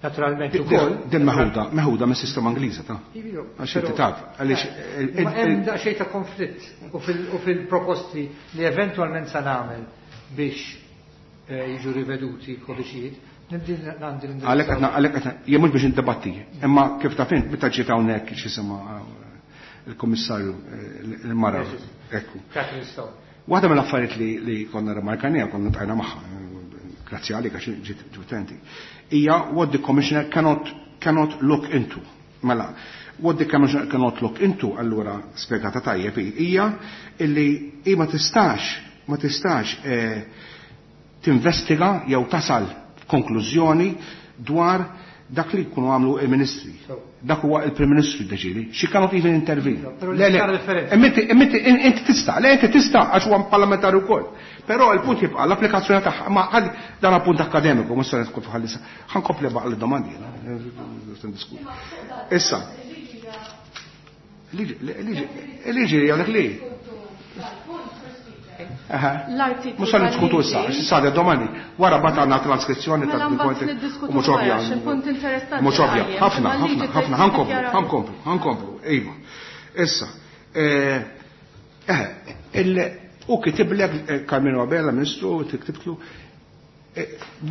naturalment ukoll. Din meħuda mis-sistema Ingliża ta' għax inti taf għaliex hemm daqsxejn ta' konflitt u fil-proposti li eventwalment sa nagħmel biex jiġu riveduti l-kodiċijiet, għalhekk qed jien mhux biex indebatti, imma kif taf int meta ġiet hawnhekk x'isimha il-Kummissarju il-mara. Ekku. Waħda mill-affarijiet li konna remarkanija, konna tajna magħha, grazzi għalik għax ġiet utenti, hija what the commissioner cannot look into. Mela, what the commissioner cannot look into, allura spjegata tajjeb hija illi hi ma tistax tinvestiga jew tasal konklużjoni dwar Dak li jkunu għamlu il-ministri. Dak huwa il-Prim Ministru jiddeċiedi. She cannot even intervene. Però Le, le, li differenza. Imma inti tista', le inti tista' għax huwa parlamentari wkoll. Però il-punt jibqa' l-applikazzjoni tagħha, ma ħalli dan appunt akkademiku, mhux se nidħol f'ħalli sa. Ħa nkompli baqa' l-domandi jiena, se ndiskuti. Issa. Liġi hija dik li. L-artiklu Mhux se niddiskutu issa, tal-liġi- għax issa għadha domandi. Wara mbagħad għandna transkrizzjoni Mela ta' mbagħad punti niddiskutu u mhux ovvja. wara, għax il-punt interessanti Mhux ovvja. qajjem, Ħafna, imma l-liġi ħafna, ħafna, trid ħa nkomplu, tiddikjara ħa nkomplu, ħa nkomplu, iva. Issa, u kitiblek Karmenu Abela, Ministru, tiktibtlu,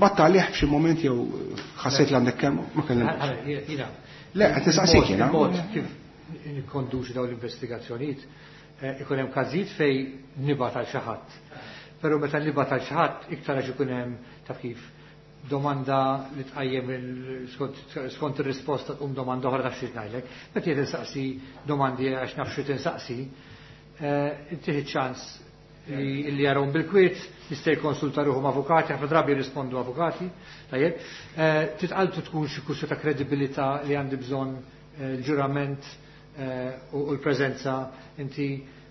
batta għalih f'xi moment jew ħassejt li għandek kemm, ma kellimx. Jiena. Le, qed nistaqsik jiena. Il-mod kif nikkonduċi dawn l-investigazzjonijiet, ikun hemm każijiet fejn nibgħat għal xi ħadd. Però meta nibgħat għal xi ħadd iktar għax ikun hemm taf kif domanda li tqajjem skont ir-risposta tqum domanda oħra taf xi ngħidlek. Meta jien insaqsi domandi għax naf xi tinsaqsi, intih ċans li jarawhom bil-kwiet, jista' jikkonsulta ruħhom avukati, ħafna drabi jirrispondu avukati, tajjeb. Titqaltu tkun xi kwistjoni ta' kredibilità li għandi bżonn l-ġurament u l-preżenza inti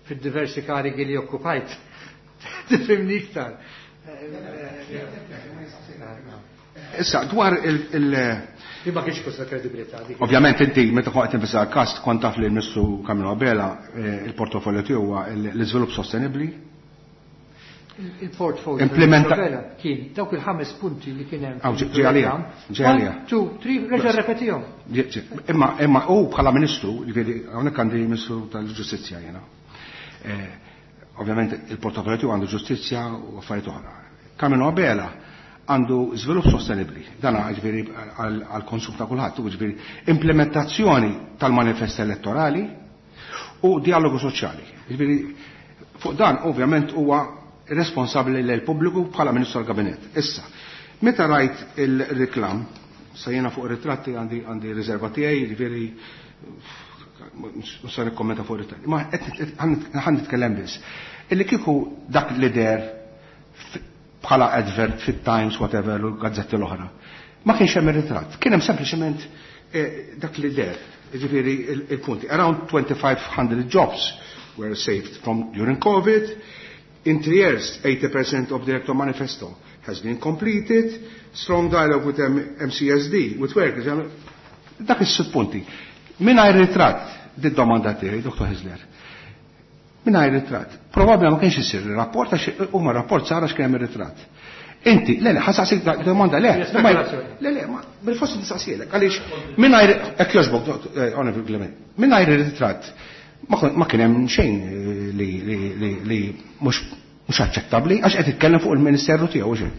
fid-diversi karigi li okkupajt. Tifhimni iktar. Issa, dwar il- Li ma kienx kwistjoni ta' kredibilità dik. Ovvjament inti meta kont tinvestiga l-każ kont taf li l-Ministru Karmenu Abela il-portofolio tiegħu huwa l-iżvilupp sostenibbli. Il-portfolio Implementa- tal-Ministru Abela kien dawk il-5 punti li kien hemm Aw, ġi għalija, ġi għalija. 1, 2, 3, reġa' repetihom. Ġi, ġi. Imma u bħala Ministru, jiġifieri hawnhekk għandi Ministru tal-Ġustizzja jiena. Ovvjament il-portofolio tiegħu għandu ġustizzja u affarijiet oħra. Karmenu Abela għandu żvilupp sostenibbli. Dan jiġifieri għall-konsum ta' kulħadd, jiġifieri implementazzjoni tal-manifest elettorali u dialogu soċjali. Jiġifieri fuq dan ovvjament huwa responsabbli lil pubbliku bħala Ministru tal-Kabinett. Issa, meta rajt il-reklam, sa jiena fuq ritratti għandi riserva tiegħi, jiġifieri mhux se nikkommenta fuq ritratti. Ma ħan nitkellem biss. Illi kieku dak li der bħala advert fit-Times, whatever, u l-gazzetti l-oħra. Ma kienx hemm ir-ritratt, kien hemm sempliċement dak li der, jiġifieri il-punti. Around 2,500 jobs were saved from during COVID. In 3 years, 80% of the electoral manifesto has been completed. Strong dialogue with MCESD, with workers. Dak is-sitt punti. Mingħajr ritratt, di domanda tiegħi, Dr. Hyzler. Mingħajr ritratt. Probabbli ma kienx isir rapport għax huma rapport sar għax kien hemm ir-ritratt. Inti, le, le, ħa nsaqsik domanda, le, Yes, ma spekulazzjoni. le, le, ma bil-forsi nistaqsielek, għaliex mingħajr, hekk jogħġbok, Onorevole Clement, mingħajr ir-ritratt ma kien hemm xejn li mhux aċċettabbli għax qed titkellem fuq il-Ministeru tiegħu xejn.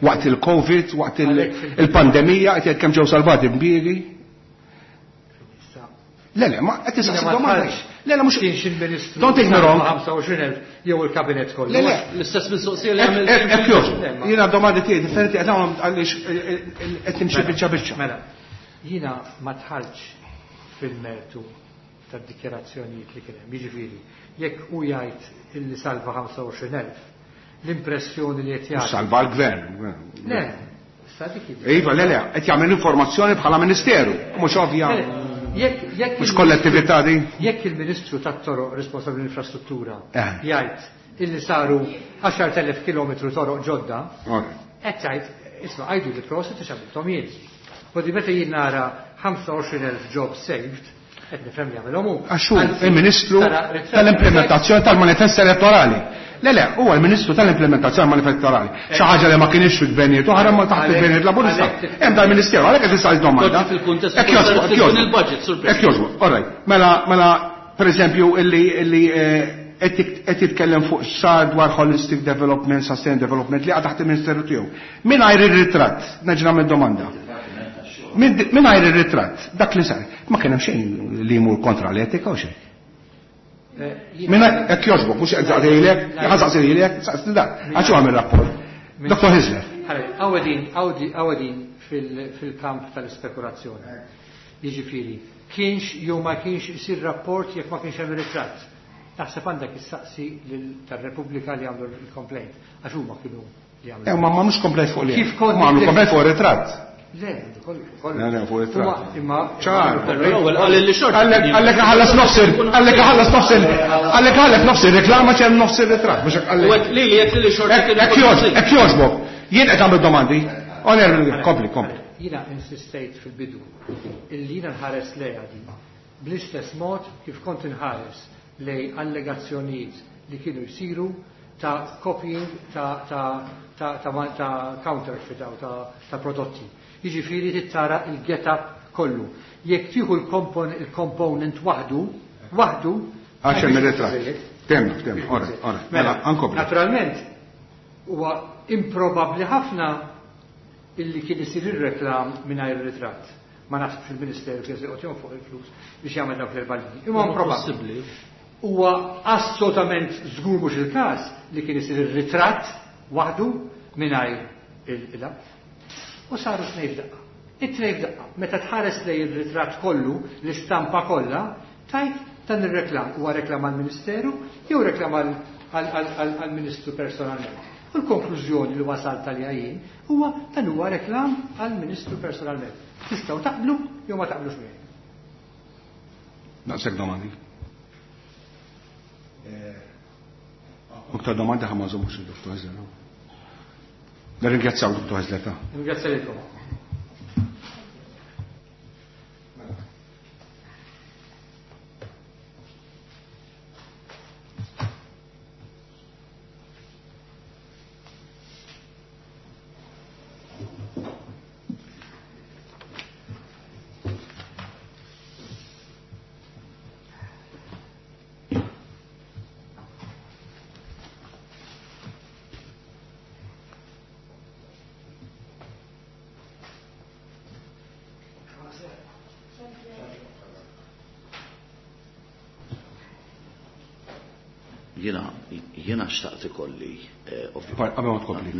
Waqt il-Covid, waqt il-pandemija, qed jgħid kemm ġew salvati impjiegi. Le, le, ma qed tistaqsi Jiena ma domanda. tħallx. Le, le, mhux Kienx il-Ministru Don't take me wrong. 25,000 jew il-kabinet kollu. Le, le. L-istess mistoqsija li għamil. Hekk jogħġbu. Le, ma- Jiena domandi tiegħi differenti qed nagħmel għaliex qed nimxi biċċa biċċa. Mela, jiena ma tħallx fil-mertu tad-dikjarazzjonijiet li kien hemm. Jiġifieri, jekk hu jgħid illi salva 25,000, l-impressjoni li qed jagħti. Salva l-gvern. Le, sa dik hi. Iva, le, le, qed jagħmel informazzjoni bħala Ministeru, mhux ovvja. Le, jekk Mhux kollettività di? Jekk il-Ministru tat-Toroq responsabbli l-infrastruttura jgħid illi saru 10,000 kilometru toroq ġodda, qed jgħid, isma' għajdu li prosit għax għamilthom jien. U di meta jien nara 25,000 job saved, qed nifhem li għamilhom hu. Għax hu Anzi, il-Ministru tara ritratt tal-implementazzjoni tal-manifest elettorali. Le, le, huwa l-Ministru tal-implementazzjoni tal-manifest elettorali. Xi ħaġa li ma kienx fil-gvernijiet oħra ma taħt il-gvernijiet laburista. Hemm dal-Ministeru, għalhekk qed tistaqsi domanda. Poġġi fil-kuntest Hekk jogħġbu, hekk jogħġbu. il-budget, Sur President. Hekk jogħġbu, all right. Mela, mela, per eżempju, illi qed jitkellem fuq sar dwar holistic development, sustained development li għad taħt il-Ministeru tiegħu. Mingħajr ir-ritratt, nerġa' nagħmel domanda. Mingħajr ir-ritratt, dak li sar, ma kien hemm xejn li jmur kontra l-etika u xejn. Minna, hekk jogħġbok, mhux qed saqsilek, ħa saqsilek, saqsil dak, għax hu għamel rapport. Dr. Hyzler. Ħalli, għawedin fil-kamp tal-ispekulazzjoni. Jiġifieri, kienx jew ma kienx isir rapport jekk ma kienx hemm ritratt. Naħseb għandek issaqsi lil tar-Repubblika li għamlu l-complaint, għax huma kienu li għamlu. Ma mhux complaint fuq li. Kif kont Ma għamlu nittif- complaint fuq ir-ritratt. Le, kollu. Le, le, fuq il-ritratt. Imma ċar. L-ewwel qal li xorta. Għallek ħallas nofs għallek ħallas nofs għallek ħallas nofs il-reklama ċem nofs il-ritratt. Mhux hekk għallek. Li li jekk li xorta. Hekk jogħġbok. Jien qed nagħmel domandi. Oner, kompli, kompli. Jiena insistejt fil-bidu illi jiena nħares lejha din bl-istess mod kif kont inħares lej allegazzjonijiet li kienu jsiru ta' copying ta' ta' ta' ta' ta' counterfeit ta' ta' prodotti. Jiġifieri trid tara il-get-up kollu. Jekk tieħu il-component waħdu, waħdu. Għax hemm ir-ritratt. Temna, temna, ora, ora. Mela, ankompli. Naturalment, huwa improbabbli ħafna illi kien isir ir-reklam mingħajr ritratt. Ma nafx fil-Ministeru kien se joqgħod fuq il-flus biex jagħmel dawk l-erba' Imma improbabbli. Huwa assolutament żgur mhux il-każ li kien isir ir-ritratt waħdu mingħajr il U saru tnejn f'daqqa. It-tnejn f'daqqa. Meta tħares lejn ir-ritratt kollu, l-istampa kollha, tajt dan ir-reklam huwa reklam għall-Ministeru jew reklam għall-Ministru personalment. U l-konklużjoni li wasalt għaliha jien huwa dan huwa reklam għall-Ministru personalment. Tistgħu taqblu jew ma taqblux miegħi. Daqshekk domandi. Aktar domandi ħa ma nżommux il-Dr. Hażler. Nirringrazzjaw Dr. Hażler ta'. Ringrazzja lilkom. Jiena xtaqt ikolli. Qabel ma tkompli.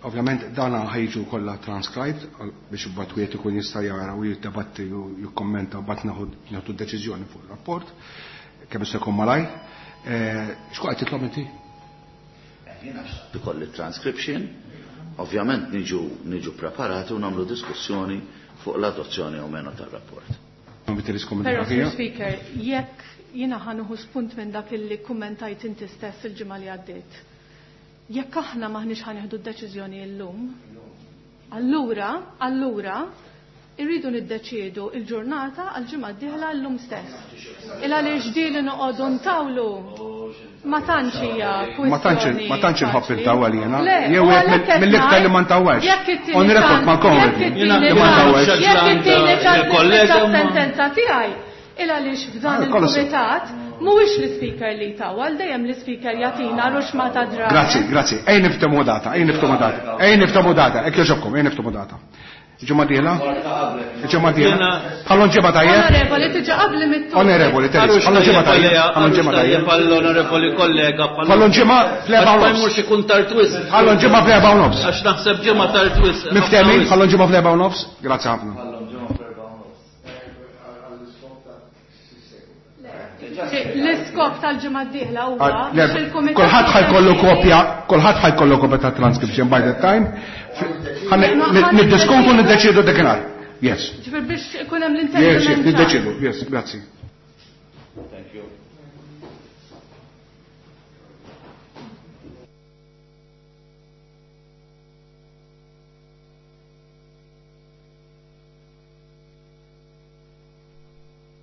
Ovvjament dana ħajġu kollha transcribed biex imbagħad wieħed ikun jista' jara u jiddebatti u jikkommenta u mbagħad nieħdu deċiżjoni fuq ir-rapport kemm jista' jkun malaj. X'kont qed titlob inti? Jiena xtaqt ikolli transcription, ovvjament niġu preparati u nagħmlu diskussjoni fuq l-adozzjoni o meno tar-rapport. Però, Sir Speaker, jekk jiena ħa nieħu spunt minn dak illi kummentajt inti stess il-ġimgħa li għaddiet. Jekk aħna maħniex ħa nieħdu d-deċiżjoni llum, allura, allura, irridu niddeċiedu il-ġurnata għal-ġimgħa d-dieħla llum stess. Il għaliex ġieli noqogħdu ntawlu ma tantx hija kwistjoni. Ma tantx inħobb intawwal jiena. Jew mill-iktar li ma ntawwalx. On record ma konwed. Jekk ittini ċans sentenza tiegħi, il għaliex f'dan il-kumitat mhuwiex l-ispeaker li jtawwal, dejjem l-ispeaker jagħtina ruxma ta' drabi. Grazzi, grazzi. Ejn niftehmu data, ejn niftehmu data. Ejn niftehmu data, hekk jogħġobkom, ejn niftehmu data. Ġimgħa dieħla? Ġimgħa dieħla? Ħallu ġimgħa tajjeb? Onorevoli, tiġi qabli mit-tul. Onorevoli, Teres, ħallu ġimgħa tajjeb. Ħallu ġimgħa tajjeb. Onorevoli kollega. Ħallu ġimgħa fl-erba' u nofs. Ma jmurx ikun tard wisq. Ħallu ġimgħa fl-erba' u nofs. Għax naħseb ġimgħa tard wisq. Miftehmin, ħallu ġimgħa fl-erba' u nofs. Grazzi ħafna. L-iskop tal-ġimgħa d-dieħla huwa biex il-kumitat. Kulħadd ħajkollu kopja, kulħadd ħajkollu kopja ta' transcription by that time. Niddiskutu niddeċiedu dakinhar. Yes. Ġifier biex ikun hemm l-intendiment. Yes, niddeċiedu. Yes, grazzi.